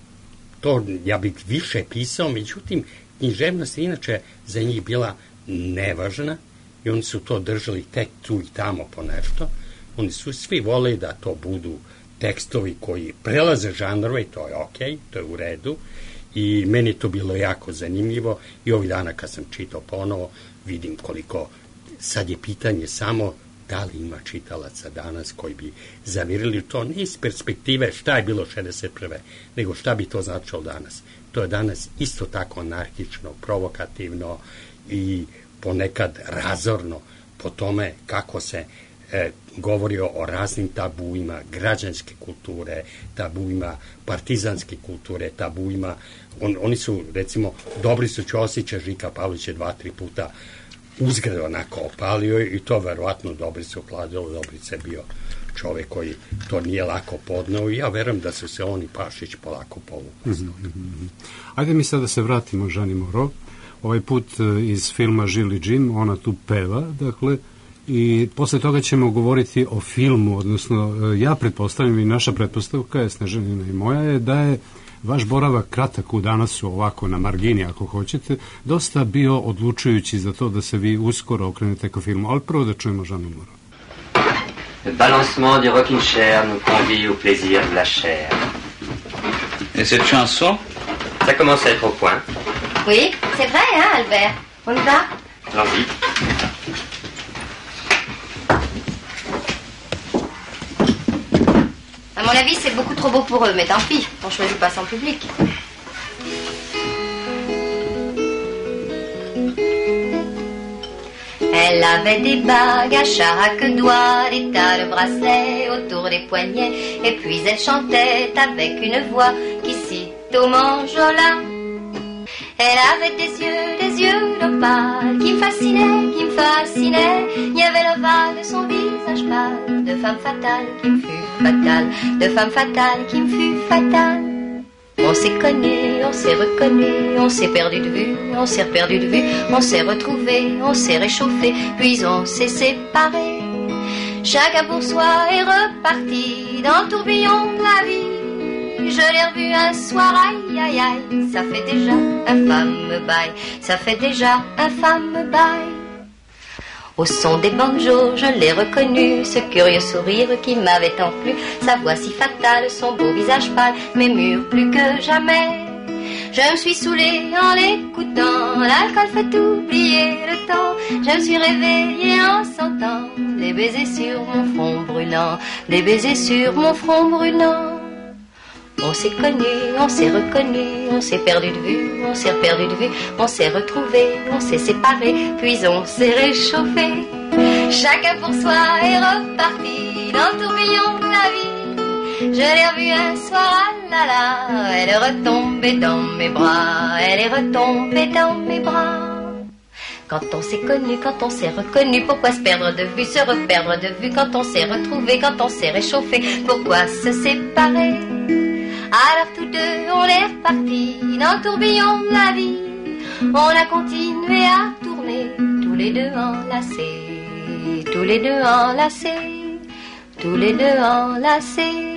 [SPEAKER 3] To ja bih više pisao, međutim, književnost je inače za njih bila nevažna i oni su to držali tek tu i tamo po nešto. Oni su svi voleli da to budu tekstovi koji prelaze žanrove i to je okej, to je u redu i meni to bilo jako zanimljivo i ovih dana kad sam čitao ponovo vidim koliko, sad je pitanje samo da li ima čitalaca danas koji bi zavirili to ne iz perspektive šta je bilo šezdeset prve nego šta bi to značilo danas. To je danas isto tako anarhično, provokativno i ponekad razorno po tome kako se e, govorio o raznim tabuima građanske kulture, tabuima partizanske kulture, tabuima, on, oni su recimo Dobri su Ćosića, Žika Pavlić je dva, tri puta uzgred onako opalio i to verovatno Dobrice ukladilo, Dobrice bio čovek koji to nije lako podneo i ja verujem da su se oni Pašić polako povukli.
[SPEAKER 5] Mm-hmm. Ajde mi sad da se vratimo Žani Moro, ovaj put iz filma Žili Džim, ona tu peva, dakle, i posle toga ćemo govoriti o filmu, odnosno ja pretpostavljam i naša pretpostavka je, Snežanina i moja je, da je vaš boravak kratak u Danasu, ovako na margini ako hoćete, dosta bio odlučujući za to da se vi uskoro okrenete ka filmu, ali prvo da čujemo Žanu Moro.
[SPEAKER 10] Le balancement du rocking chair nous convie au plaisir de la chair.
[SPEAKER 9] Et cette chanson?
[SPEAKER 10] Ça commence à être au point.
[SPEAKER 11] Oui, c'est vrai, hein, Albert? On y va?
[SPEAKER 10] Allons-y.
[SPEAKER 11] À mon avis, c'est beaucoup trop beau pour eux, mais tant pis, on choisit pas son public. Elle avait des bagues à chaque doigt, des tas de bracelets autour des poignets, et puis elle chantait avec une voix qui cite au manjola. Elle avait des yeux, des yeux d'opale qui me fascinaient, qui me fascinaient. Il y avait l'ovale de son visage pâle, de femme fatale qui me fut fatale, de femme fatale qui me fut fatale. On s'est connus, on s'est reconnus, on s'est perdu de vue, on s'est perdu de vue, on s'est retrouvés, on s'est réchauffés, puis on s'est séparés. Chacun pour soi est reparti dans le tourbillon de la vie. Je l'ai revu un soir, aïe aïe aïe, ça fait déjà un fameux bail, ça fait déjà un fameux bail. Au son des banjos, je l'ai reconnu, ce curieux sourire qui m'avait tant plu, sa voix si fatale, son beau visage pâle, m'émure plus que jamais. Je me suis saoulée en l'écoutant, l'alcool fait oublier le temps, Je me suis réveillée en sentant des baisers sur mon front brûlant, des baisers sur mon front brûlant. On s'est connus, on s'est reconnus, on s'est perdu de vue, on s'est perdu de vue, on s'est retrouvés, on s'est séparés, puis on s'est réchauffés. Chacun pour soi est reparti dans le tourbillon de la vie. Je l'ai revue un soir, ah là là, elle est retombée dans mes bras, elle est retombée dans mes bras. Quand on s'est connu, quand on s'est reconnu, pourquoi se perdre de vue, se reperdre de vue? Quand on s'est retrouvé, quand on s'est réchauffé, pourquoi se séparer? Alors tous deux, on est repartis dans le tourbillon de la vie. On a continué à tourner, tous les deux enlacés, tous les deux enlacés, tous les deux enlacés.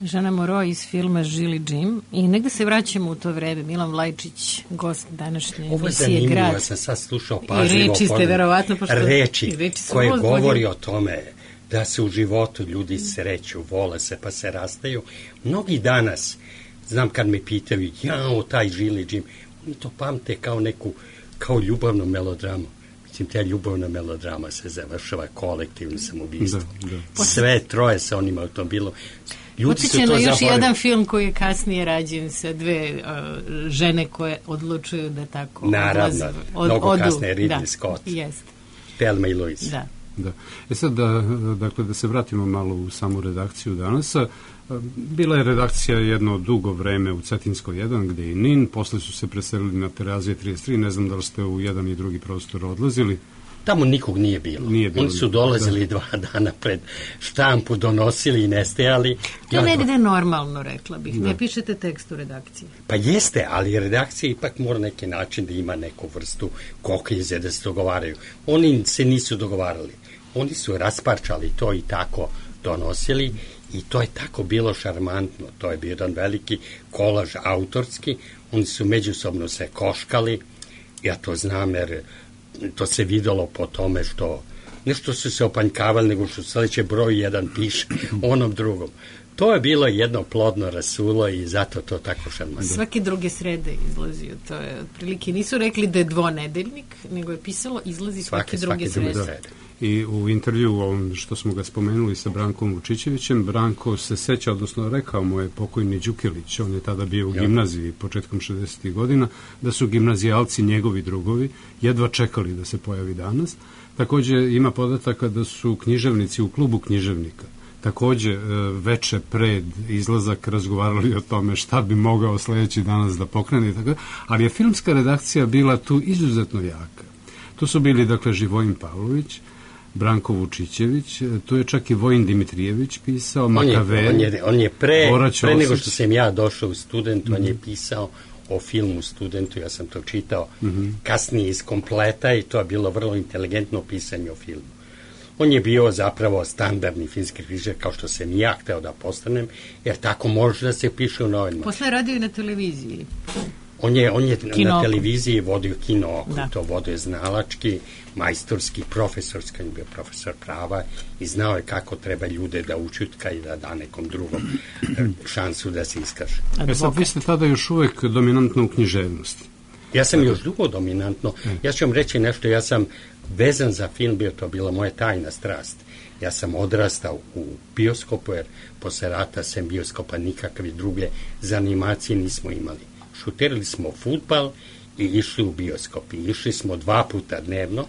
[SPEAKER 4] Žana Moro iz filma Žili Jim i negde se vraćamo u to vreme. Milan Vlajčić, gost današnje emisije Grad.
[SPEAKER 3] Ovo je zanimljivo, ja sam sad slušao pažljivo.
[SPEAKER 4] I reči ste verovatno, pošto
[SPEAKER 3] reči,
[SPEAKER 4] reči
[SPEAKER 3] koje govori o tome da se u životu ljudi sreću, vole se pa se rastaju. Mnogi danas, znam kad me pitaju, jao, taj Žili Jim, oni to pamte kao neku, kao ljubavnu melodramu. Mislim, ta ljubavna melodrama se završava kolektivnim samobistvom. Da, da. Sve troje sa onim automobilom.
[SPEAKER 4] Podsjeća na još jedan film koji je kasnije rađen sa dve uh, žene koje odlučuju da tako
[SPEAKER 3] naravno, od, mnogo odu. Kasnije Ridley
[SPEAKER 4] da,
[SPEAKER 3] Scott,
[SPEAKER 4] jest.
[SPEAKER 3] Thelma i Louise.
[SPEAKER 4] Da.
[SPEAKER 5] Da. E sad, da, dakle, da se vratimo malo u samu redakciju danas. Bila je redakcija jedno dugo vreme u Cetinskoj jedan, gde je i Nin, posle su se preselili na Terazije trideset tri, ne znam da li ste u jedan i drugi prostor odlazili.
[SPEAKER 3] Tamo nikog nije bilo. Nije bilo. Oni su dolazili da. dva dana pred štampu, donosili i nestajali.
[SPEAKER 4] To ja, negde normalno, rekla bih. Da. Ne pišete tekst u redakciji.
[SPEAKER 3] Pa jeste, ali redakcija ipak mora neki način da ima neku vrstu koklize da se dogovaraju. Oni se nisu dogovarali. Oni su rasparčali to i tako donosili i to je tako bilo šarmantno. To je bio jedan veliki kolaž autorski. Oni su međusobno se koškali. Ja to znam jer to se videlo po tome što ne što su se opanjkavali, nego što sledeće broj jedan piše onom drugom. To je bilo jedno plodno rasulo i zato to tako šarmantno.
[SPEAKER 4] Svake druge srede izlazio, to je otprilike, nisu rekli da je dvonedeljnik, nego je pisalo izlazi svake, svake druge svake srede. srede.
[SPEAKER 5] I u intervju ovom što smo ga spomenuli sa Brankom Vučićevićem, Branko se seća, odnosno rekao mu je pokojni Đukilić, on je tada bio u gimnaziji početkom šezdesetih godina, da su gimnazijalci njegovi drugovi jedva čekali da se pojavi danas. Takođe ima podataka da su književnici u klubu književnika takođe veče pred izlazak razgovarali o tome šta bi mogao sledeći danas da pokrene, tako, ali je filmska redakcija bila tu izuzetno jaka. Tu su bili, dakle, Živojin Pavlović, Branko Vučićević, tu je čak i Vojin Dimitrijević pisao, on Makavel,
[SPEAKER 3] je, on je, on je pre, pre nego što sam ja došao u Student, mm-hmm. on je pisao o filmu Studentu, ja sam to čitao mm-hmm. kasnije iz kompleta i to je bilo vrlo inteligentno pisanje o filmu. On je bio zapravo standardni filmski kritičar, kao što sam ja hteo da postanem, jer tako može da se piše u novinama.
[SPEAKER 4] Posle je radio i na televiziji.
[SPEAKER 3] On je, on je na televiziji vodio Kino Oko, to vodio znalački, majstorski, profesorski, on je bio profesor prava i znao je kako treba ljude da učutka i da da nekom drugom šansu da se iskaže.
[SPEAKER 5] E sad, vi ste tada još uvek dominantno u književnosti.
[SPEAKER 3] Ja sam još dugo dominantno. Ja ću vam reći nešto, ja sam vezan za film, bio to bila moja tajna strast. Ja sam odrastao u bioskopu, jer posle rata sem bioskopa nikakve druge za animacije nismo imali. Šutirali smo fudbal i išli u bioskop. I išli smo dva puta dnevno.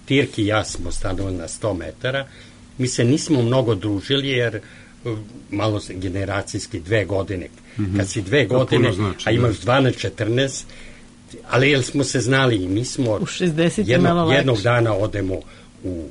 [SPEAKER 3] Tirki i ja smo stanovali na sto metara. Mi se nismo mnogo družili, jer malo generacijski dve godine. Mm-hmm. Kad si dve godine, znači, a imaš dvanaest četrnaest, ali jel smo se znali i mi smo jedno, jednog dana odemo u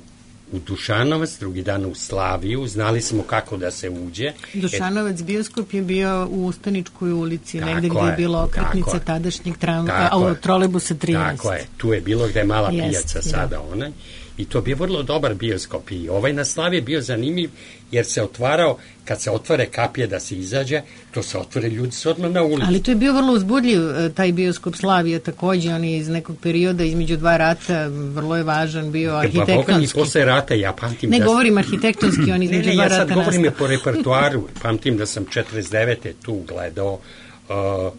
[SPEAKER 3] u Dušanovac, drugi dan u Slaviju, znali smo kako da se uđe.
[SPEAKER 4] Dušanovac bioskop je bio u Ustaničkoj ulici, negde gde je bila okretnica tadašnjeg tramvaja, trolejbusa trinaest.
[SPEAKER 3] Tako je, tu je bilo gde je mala pijaca sada onaj. I to bi vrlo dobar bioskop. I ovaj na Slavi je bio zanimljiv, jer se otvarao, kad se otvore kapije da se izađe, to se otvore, ljudi su odmah na ulici.
[SPEAKER 4] Ali to je bio vrlo uzbudljiv, taj bioskop Slavija takođe, on je iz nekog perioda, između dva rata, vrlo je važan bio arhitektonski. Pa Boga ni posle
[SPEAKER 3] rata, ja pamtim
[SPEAKER 4] ne
[SPEAKER 3] da...
[SPEAKER 4] Ne govorim arhitektonski, on između
[SPEAKER 3] ne, ne,
[SPEAKER 4] dva rata
[SPEAKER 3] ja sad
[SPEAKER 4] nastao.
[SPEAKER 3] govorim je po repertuaru, pamtim da sam četrdeset devete tu gledao uh,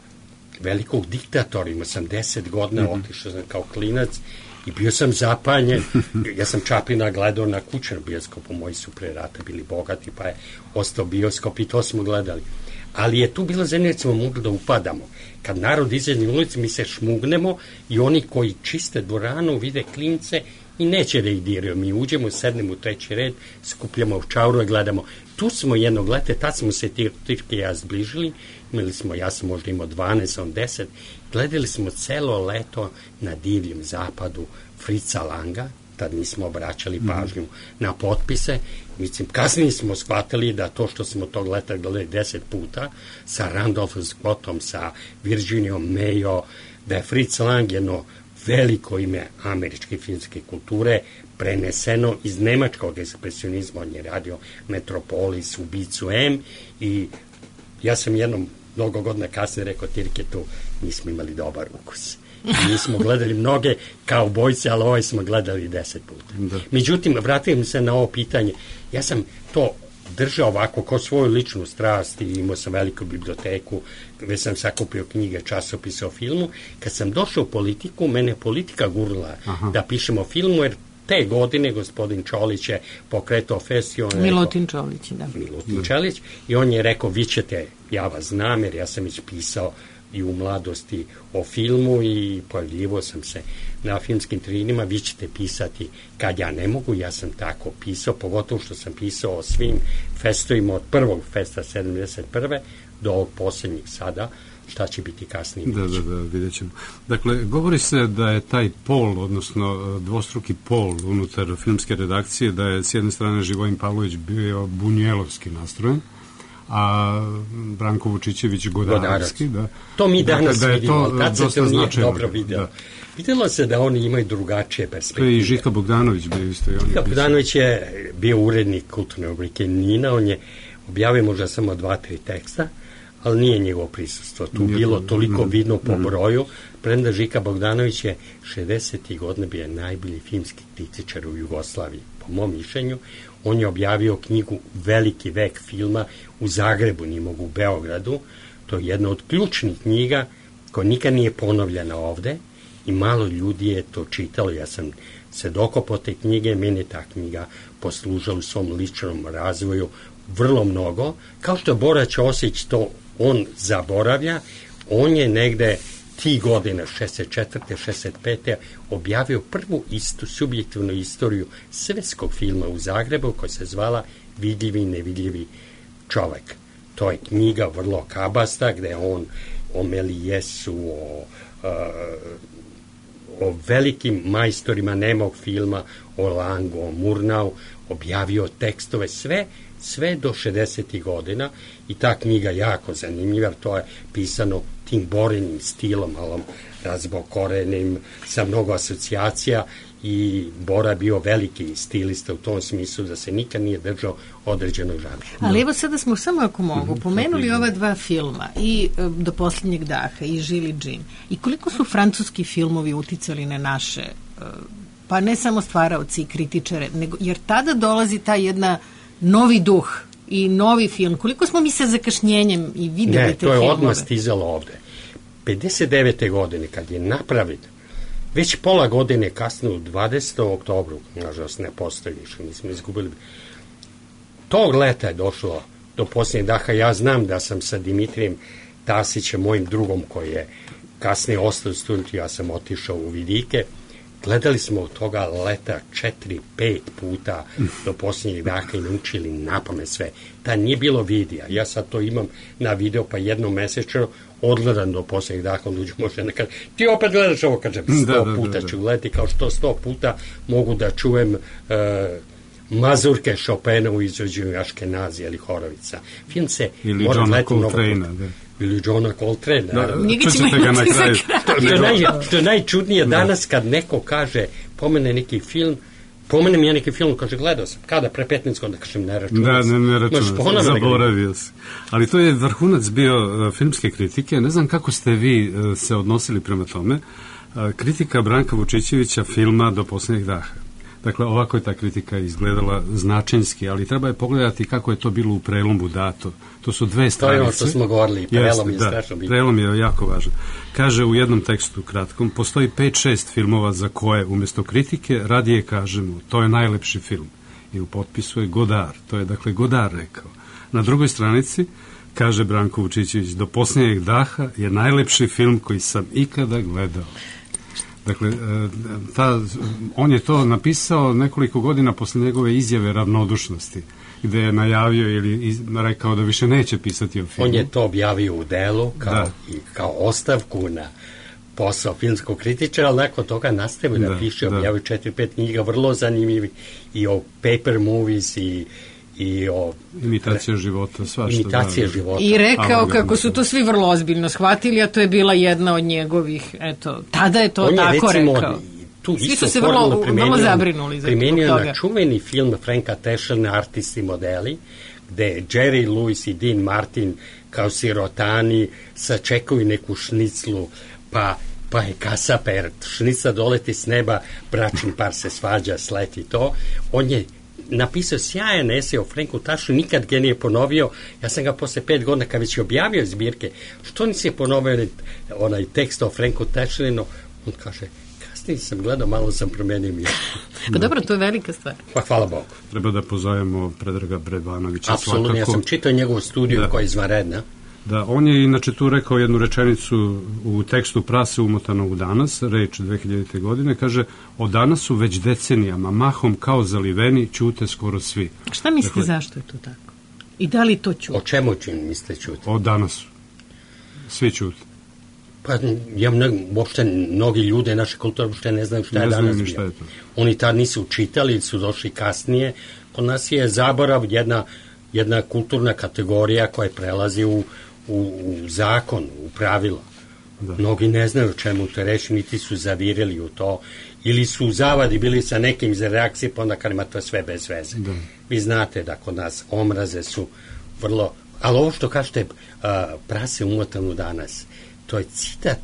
[SPEAKER 3] velikog diktatora, imao sam deset godina, mm-hmm. otišao sam kao klinac i bio sam zapanjen. Ja sam Čaplina gledao na kućnom bioskopu, moji su pre rata bili bogati, pa je ostao bioskop i to smo gledali. Ali je tu bilo zemlje, smo mogli da upadamo. Kad narod izađe na ulici, mi se šmugnemo i oni koji čiste dvoranu vide klince i neće da ih diraju. Mi uđemo, sednemo u treći red, skupljamo čauru i gledamo. Tu smo jednog leta, tad smo se Tirke i ja zbližili, imali smo, ja sam možda imao dvanaest, on deset, gledali smo celo leto na divljem zapadu Fritza Langa, tad nismo obraćali pažnju mm. na potpise. Mislim, kasnije smo shvatili da to što smo tog leta gledali deset puta sa Randolphom Scottom, sa Virginijom Mayo, da je Fritz Lang jedno veliko ime američke filmske kulture preneseno iz nemačkog ekspresionizma. On je radio Metropolis, Ubicu M i ja sam jednom mnogo godina kasnije rekao Tirketu, mi smo imali dobar ukus. Mi smo gledali mnoge kaubojce, ali ovaj smo gledali deset puta. Da. Međutim, vratim se na ovo pitanje. Ja sam to držao ovako kao svoju ličnu strast i imao sam veliku biblioteku, gde sam sakupio knjige, časopise o filmu. Kad sam došao u politiku, mene politika gurla Aha. da pišemo o filmu, jer te godine gospodin Čolić je pokretao festival.
[SPEAKER 4] Milutin Čolić, da.
[SPEAKER 3] Milutin Čolić. I on je rekao, vi ćete, ja vas znam, jer ja sam već pisao i u mladosti o filmu i pojavljivo sam se na filmskim trinima, vi ćete pisati kad ja ne mogu, ja sam tako pisao, pogotovo što sam pisao o svim festovima od prvog festa sedamdeset prve do ovog posljednjeg sada, šta će biti kasnije.
[SPEAKER 5] Da, da, da, vidjet ćemo. Dakle, govori se da je taj pol, odnosno dvostruki pol unutar filmske redakcije, da je s jedne strane Živojin Pavlović bio bunjelovski nastrojen, a Branko Vučićević Godarovski. Da.
[SPEAKER 3] To mi danas da vidimo, ali tad se to nije dobro vidjelo. Da. Vidjelo se da oni imaju drugačije perspektive.
[SPEAKER 5] To je i Žika Bogdanović bio isto.
[SPEAKER 3] Žika Bogdanović je bio urednik kulturne rubrike Nina, on je objavio možda samo dva, tri teksta, ali nije njegovo prisustvo. Tu nije bilo toliko no, vidno po broju, premda Žika Bogdanović je šezdesetih godina bio najbolji filmski kritičar u Jugoslaviji, po mom mišljenju. On je objavio knjigu Veliki vek filma u Zagrebu, nije mogu u Beogradu. To je jedna od ključnih knjiga koja nikad nije ponovljena ovde i malo ljudi je to čitalo. Ja sam se dokopao te knjige, meni je ta knjiga poslužila u svom ličnom razvoju vrlo mnogo. Kao što Bora Ćosić to on zaboravlja, on je negde ti godine, šezdeset četvrte šezdeset pete objavio prvu istu subjektivnu istoriju svetskog filma u Zagrebu koja se zvala Vidljivi i nevidljivi čovek. To je knjiga vrlo kabasta gde je on o Melijesu, o, o velikim majstorima nemog filma, o Langu, o Murnau, objavio tekstove sve sve do šezdesetih godina i ta knjiga jako zanimljiva, to je pisano tim Borinim stilom, malom razbokorenim, sa mnogo asocijacija i Bora bio veliki stilista u tom smislu da se nikad nije držao određenog žanra.
[SPEAKER 4] Ali evo sada smo samo ako mogu pomenuli ova dva filma i Do posljednjeg daha i Žili džin. I koliko su francuski filmovi uticali na naše, pa ne samo stvaraoci i kritičare, nego, jer tada dolazi ta jedna novi duh i novi film. Koliko smo mi sa zakašnjenjem i videli te filmove?
[SPEAKER 3] Ne, to je odmah stizalo ovde. pedeset devete godine, kad je napravljen, već pola godine kasnije, u dvadesetom oktobru, nažalost ne postoji više, mi smo izgubili. Tog leta je došlo do posljednjeg daha. Ja znam da sam sa Dimitrijem Tasićem, mojim drugom koji je kasnije ostao u studentu, ja sam otišao u Vidike. Gledali smo od toga leta četiri, pet puta do posljednjeg daha i naučili napamet sve. Ta nije bilo videa. Ja sad to imam na video, pa jednom mesečno odgledam do posljednjeg daha, on uđu može nekad, ti opet gledaš ovo, kažem, sto da, da, puta da, da. ću gledati, kao što sto puta mogu da čujem uh, mazurke Chopina u izvođenju Aškenazija ili Horovica. Film se
[SPEAKER 5] ili Johna Coltrane-a, da.
[SPEAKER 3] Ili Johna Coltrane.
[SPEAKER 5] Da, čućete ga na kraju.
[SPEAKER 3] To je, naj, to je najčudnije danas kad neko kaže, pomene neki film, pomenem ja neki film, kaže, gledao sam, kada, pre petnaest godina, kažem, ne računam.
[SPEAKER 5] Da, ne, ne računam, zaboravio si. Ali to je vrhunac bio uh, filmske kritike, ne znam kako ste vi uh, se odnosili prema tome. Uh, kritika Branka Vučićevića filma Do posljednjeg daha. Dakle, ovako je ta kritika izgledala značinski, ali treba je pogledati kako je to bilo u prelomu dato. To su dve stranice.
[SPEAKER 3] To je ono što smo govorili, prelom je strašno bitno.
[SPEAKER 5] Prelom je jako važan. Kaže u jednom tekstu kratkom, postoji pet šest filmova za koje umjesto kritike radije kažemo, to je najlepši film. I u potpisu je Godard, to je dakle Godard rekao. Na drugoj stranici kaže Branko Vučićević, do posljednjeg daha je najlepši film koji sam ikada gledao. Dakle, ta, on je to napisao nekoliko godina posle njegove izjave ravnodušnosti, gde je najavio ili iz, rekao da više neće pisati o filmu.
[SPEAKER 3] On je to objavio u delu kao, i, kao ostavku na posao filmskog kritičara, ali nakon toga nastavio da, da piše, objavio četiri, pet knjiga, vrlo zanimljivi i o paper movies i i o
[SPEAKER 5] imitacija života, svašta.
[SPEAKER 3] Imitacija da, života.
[SPEAKER 4] I rekao kako su to svi vrlo ozbiljno shvatili, a to je bila jedna od njegovih, eto, tada je to
[SPEAKER 3] on
[SPEAKER 4] tako
[SPEAKER 3] je, recimo,
[SPEAKER 4] rekao.
[SPEAKER 3] Tu
[SPEAKER 4] svi su se vrlo, vrlo zabrinuli za
[SPEAKER 3] primenio
[SPEAKER 4] toga.
[SPEAKER 3] Na čuveni film Franka Tasherna Artisti modeli, gde Jerry Lewis i Dean Martin kao sirotani sačekuju neku šniclu, pa pa je kasaper, šnica doleti s neba, bračni par se svađa, sleti to. On je napisao sjajan esej o Franku Tashernu, nikad ga nije ponovio. Ja sam ga posle pet godina, kad već je objavio zbirke, što nisi je ponovio onaj tekst o Franku Tashernu, on kaže, kasnije sam gledao, malo sam promenio mjesto.
[SPEAKER 4] Pa dobro, to je velika stvar.
[SPEAKER 3] Pa hvala Bogu.
[SPEAKER 5] Treba da pozovemo Predraga Bredvanovića.
[SPEAKER 3] Apsolutno, ja sam čitao njegovu studiju da. koja je izvanredna.
[SPEAKER 5] Da, on je inače tu rekao jednu rečenicu u tekstu Prase umotano u danas, reč dve hiljadite godine, kaže, o danasu već decenijama, mahom kao zaliveni, ćute skoro svi.
[SPEAKER 4] Šta mislite dakle, zašto je to tako? I da li to ćute?
[SPEAKER 3] O čemu će mislite ćute?
[SPEAKER 5] O danasu. Svi ćute.
[SPEAKER 3] Pa ja mne, uopšte mnogi ljude naše kulture uopšte ne znaju šta je
[SPEAKER 5] ne
[SPEAKER 3] danas
[SPEAKER 5] bio. Šta je to.
[SPEAKER 3] Oni tad nisu čitali, su došli kasnije. Kod nas je zaborav jedna, jedna kulturna kategorija koja prelazi u U, u zakon, u pravila. Da. Mnogi ne znaju čemu to reći, niti su zavirili u to, ili su u zavadi bili sa nekim za reakcije, pa onda kad ima to sve bez veze. Da. Vi znate da kod nas omraze su vrlo, ali ovo što kažete, uh, prase umotanu danas, to je citat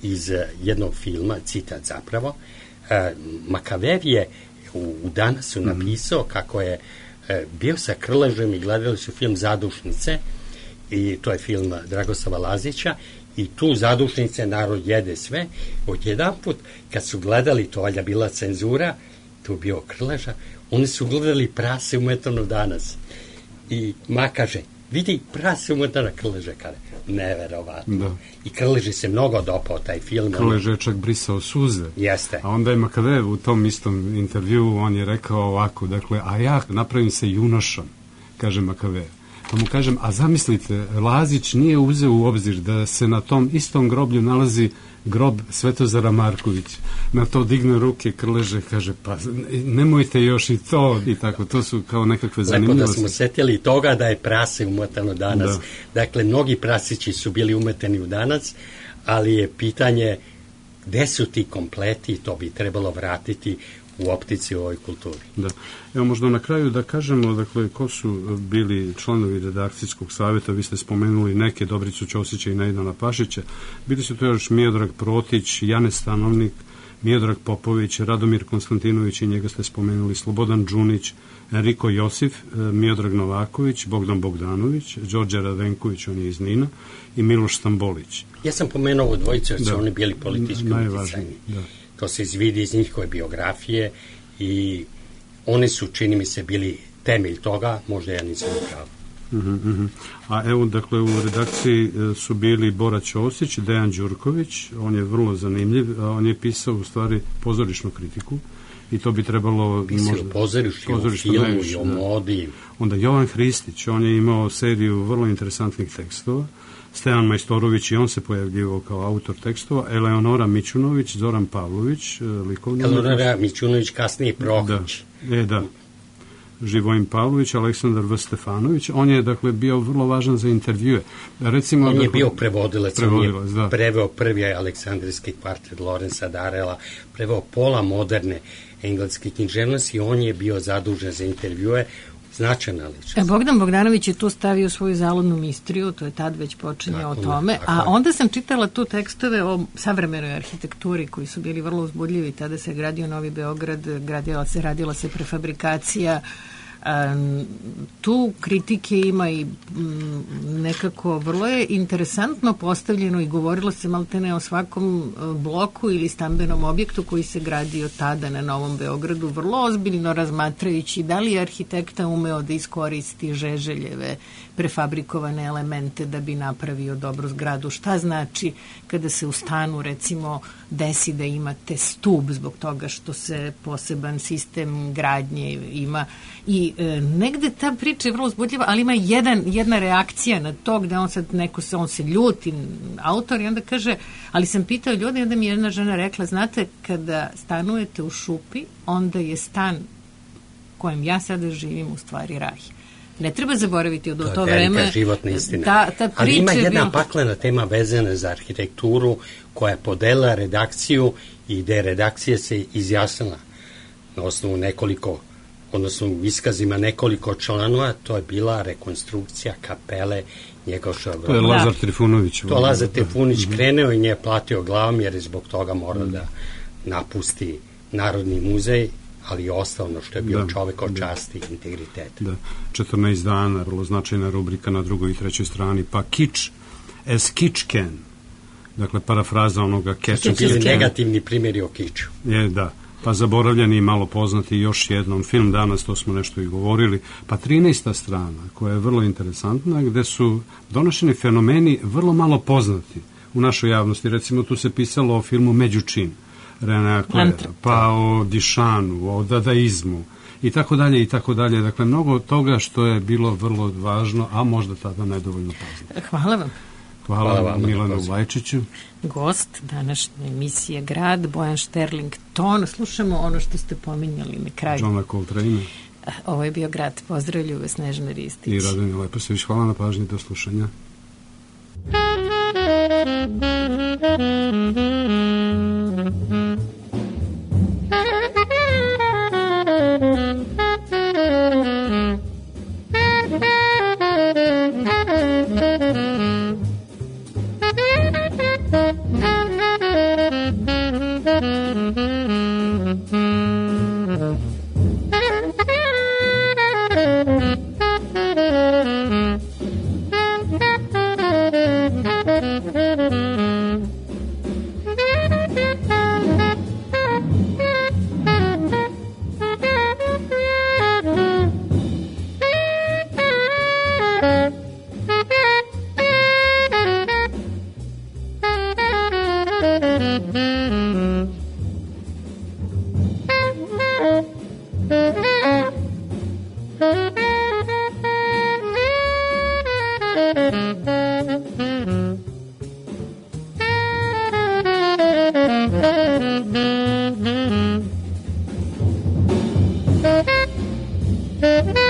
[SPEAKER 3] iz uh, jednog filma, citat zapravo, uh, Makavev je u, u danasu napisao mm. kako je uh, bio sa Krležem i gledali su film Zadušnice, i to je film Dragoslava Lazića, i tu Zadušnice narod jede sve. Odjedan put kad su gledali, to valjda bila cenzura, tu bio Krleža, oni su gledali Prase umetano danas i ma kaže, vidi Prase umetano, Krleža kaže, neverovatno. Da. I Krleži se mnogo dopao taj film.
[SPEAKER 5] Krleža je čak brisao suze.
[SPEAKER 3] Jeste.
[SPEAKER 5] A onda je Makavev u tom istom intervju, on je rekao ovako, dakle, a ja napravim se junošom, kaže Makavev. Pa mu kažem, a zamislite, Lazić nije uzeo u obzir da se na tom istom groblju nalazi grob Svetozara Markovića. Na to digne ruke, Krleže, kaže, pa nemojte još i to, i tako, to su kao nekakve zanimljivosti.
[SPEAKER 3] Lepo da smo setili toga da je prase umetano danas. Da. Dakle, mnogi prasići su bili umeteni u danas, ali je pitanje gde su ti kompleti, to bi trebalo vratiti u optici u ovoj kulturi.
[SPEAKER 5] Da. Evo možda na kraju da kažemo, dakle, ko su bili članovi redakcijskog savjeta, vi ste spomenuli neke, Dobricu Ćosića i Nejdana Pašića, bili su to još Miodrag Protić, Jane Stanovnik, Miodrag Popović, Radomir Konstantinović i njega ste spomenuli, Slobodan Đunić, Enriko Josif, Miodrag Novaković, Bogdan Bogdanović, Đorđe Radenković, on je iz Nina, i Miloš Stambolić.
[SPEAKER 3] Ja sam pomenuo ovo dvojice, jer su oni bili politički uticajni. Da. To se izvidi iz njihove biografije i oni su, čini mi se, bili temelj toga, možda ja nisam upravo.
[SPEAKER 5] Uh-huh, uh-huh. A evo, dakle, u redakciji su bili Bora Ćosić, Dejan Đurković, on je vrlo zanimljiv, a on je pisao u stvari pozorišnu kritiku i to bi trebalo...
[SPEAKER 3] Pisao možda, pozorišnu, o filmu najviše, i o modi.
[SPEAKER 5] Onda Jovan Hristić, on je imao seriju vrlo interesantnih tekstova, Stevan Majstorović i on se pojavljivao kao autor tekstova, Eleonora Mićunović, Zoran Pavlović, likovni...
[SPEAKER 3] Eleonora Mićunović, kasnije Prohić.
[SPEAKER 5] Da, e, da. Živojin Pavlović, Aleksandar V. Stefanović, on je, dakle, bio vrlo važan za intervjue. Recimo,
[SPEAKER 3] on je
[SPEAKER 5] dakle,
[SPEAKER 3] bio prevodilac,
[SPEAKER 5] prevodilac
[SPEAKER 3] on je
[SPEAKER 5] da.
[SPEAKER 3] preveo prvi Aleksandrijski kvartet Lorenza Darela, preveo pola moderne engleske književnosti i on je bio zadužen za intervjue. značajna ličnost.
[SPEAKER 4] Bogdan Bogdanović je tu stavio svoju zaludnu mistriju, to je tad već počinje tako, o tome, a onda sam čitala tu tekstove o savremenoj arhitekturi koji su bili vrlo uzbudljivi. Tada se gradio Novi Beograd, gradila se, radila se prefabrikacija. Tu kritike ima i nekako vrlo je interesantno postavljeno i govorilo se maltene o svakom bloku ili stambenom objektu koji se gradio tada na Novom Beogradu, vrlo ozbiljno razmatrajući da li je arhitekta umeo da iskoristi Žeželjeve prefabrikovane elemente da bi napravio dobru zgradu. Šta znači kada se u stanu recimo desi da imate stub zbog toga što se poseban sistem gradnje ima i e, negde ta priča je vrlo uzbudljiva, ali ima jedan, jedna reakcija na to gde on sad neko se, on se ljuti, autor, i onda kaže, ali sam pitao ljudi, onda mi jedna žena rekla, znate, kada stanujete u šupi, onda je stan kojem ja sada živim u stvari raj. Ne treba zaboraviti od to, to vreme. To je velika životna istina. Ta, ta
[SPEAKER 3] ali ima jedna
[SPEAKER 4] bila...
[SPEAKER 3] paklena tema vezana za arhitekturu koja je podela redakciju i gde redakcija se izjasnila na osnovu nekoliko, odnosno iskazima nekoliko članova, to je bila rekonstrukcija kapele Njegoševa groba.
[SPEAKER 5] To je Lazar Trifunović.
[SPEAKER 3] To Lazar Trifunović krenuo i nje platio glavom jer je zbog toga morao da napusti Narodni muzej, ali i ostalo što je bio da, čovek od časti i integriteta.
[SPEAKER 5] Da, četrnaest dana, vrlo značajna rubrika na drugoj i trećoj strani, pa kič as kič can, dakle parafraza onoga catch.
[SPEAKER 3] To su bili negativni primjeri o kiču.
[SPEAKER 5] Je, da, pa zaboravljeni i malo poznati još jednom film danas, to smo nešto i govorili, pa trinaesta strana, koja je vrlo interesantna, gde su donošeni fenomeni vrlo malo poznati u našoj javnosti. Recimo, tu se pisalo o filmu Međučin, Renea Klera, pa o Dišanu, o dadaizmu i tako dalje i tako dalje. Dakle, mnogo toga što je bilo vrlo važno, a možda tada nedovoljno poznato.
[SPEAKER 4] Hvala vam.
[SPEAKER 5] Hvala, Hvala vam, Milanu Vlajčiću.
[SPEAKER 4] Gost današnje emisije Grad, Bojan Šterling-Ton. Slušamo ono što ste pominjali na kraju.
[SPEAKER 5] Johna Coltrane.
[SPEAKER 4] Ovo je bio Grad. Pozdravljuju vas Snežana Ristić.
[SPEAKER 5] I Radomir Leposević. Hvala na pažnji, do slušanja.
[SPEAKER 12] Thank you.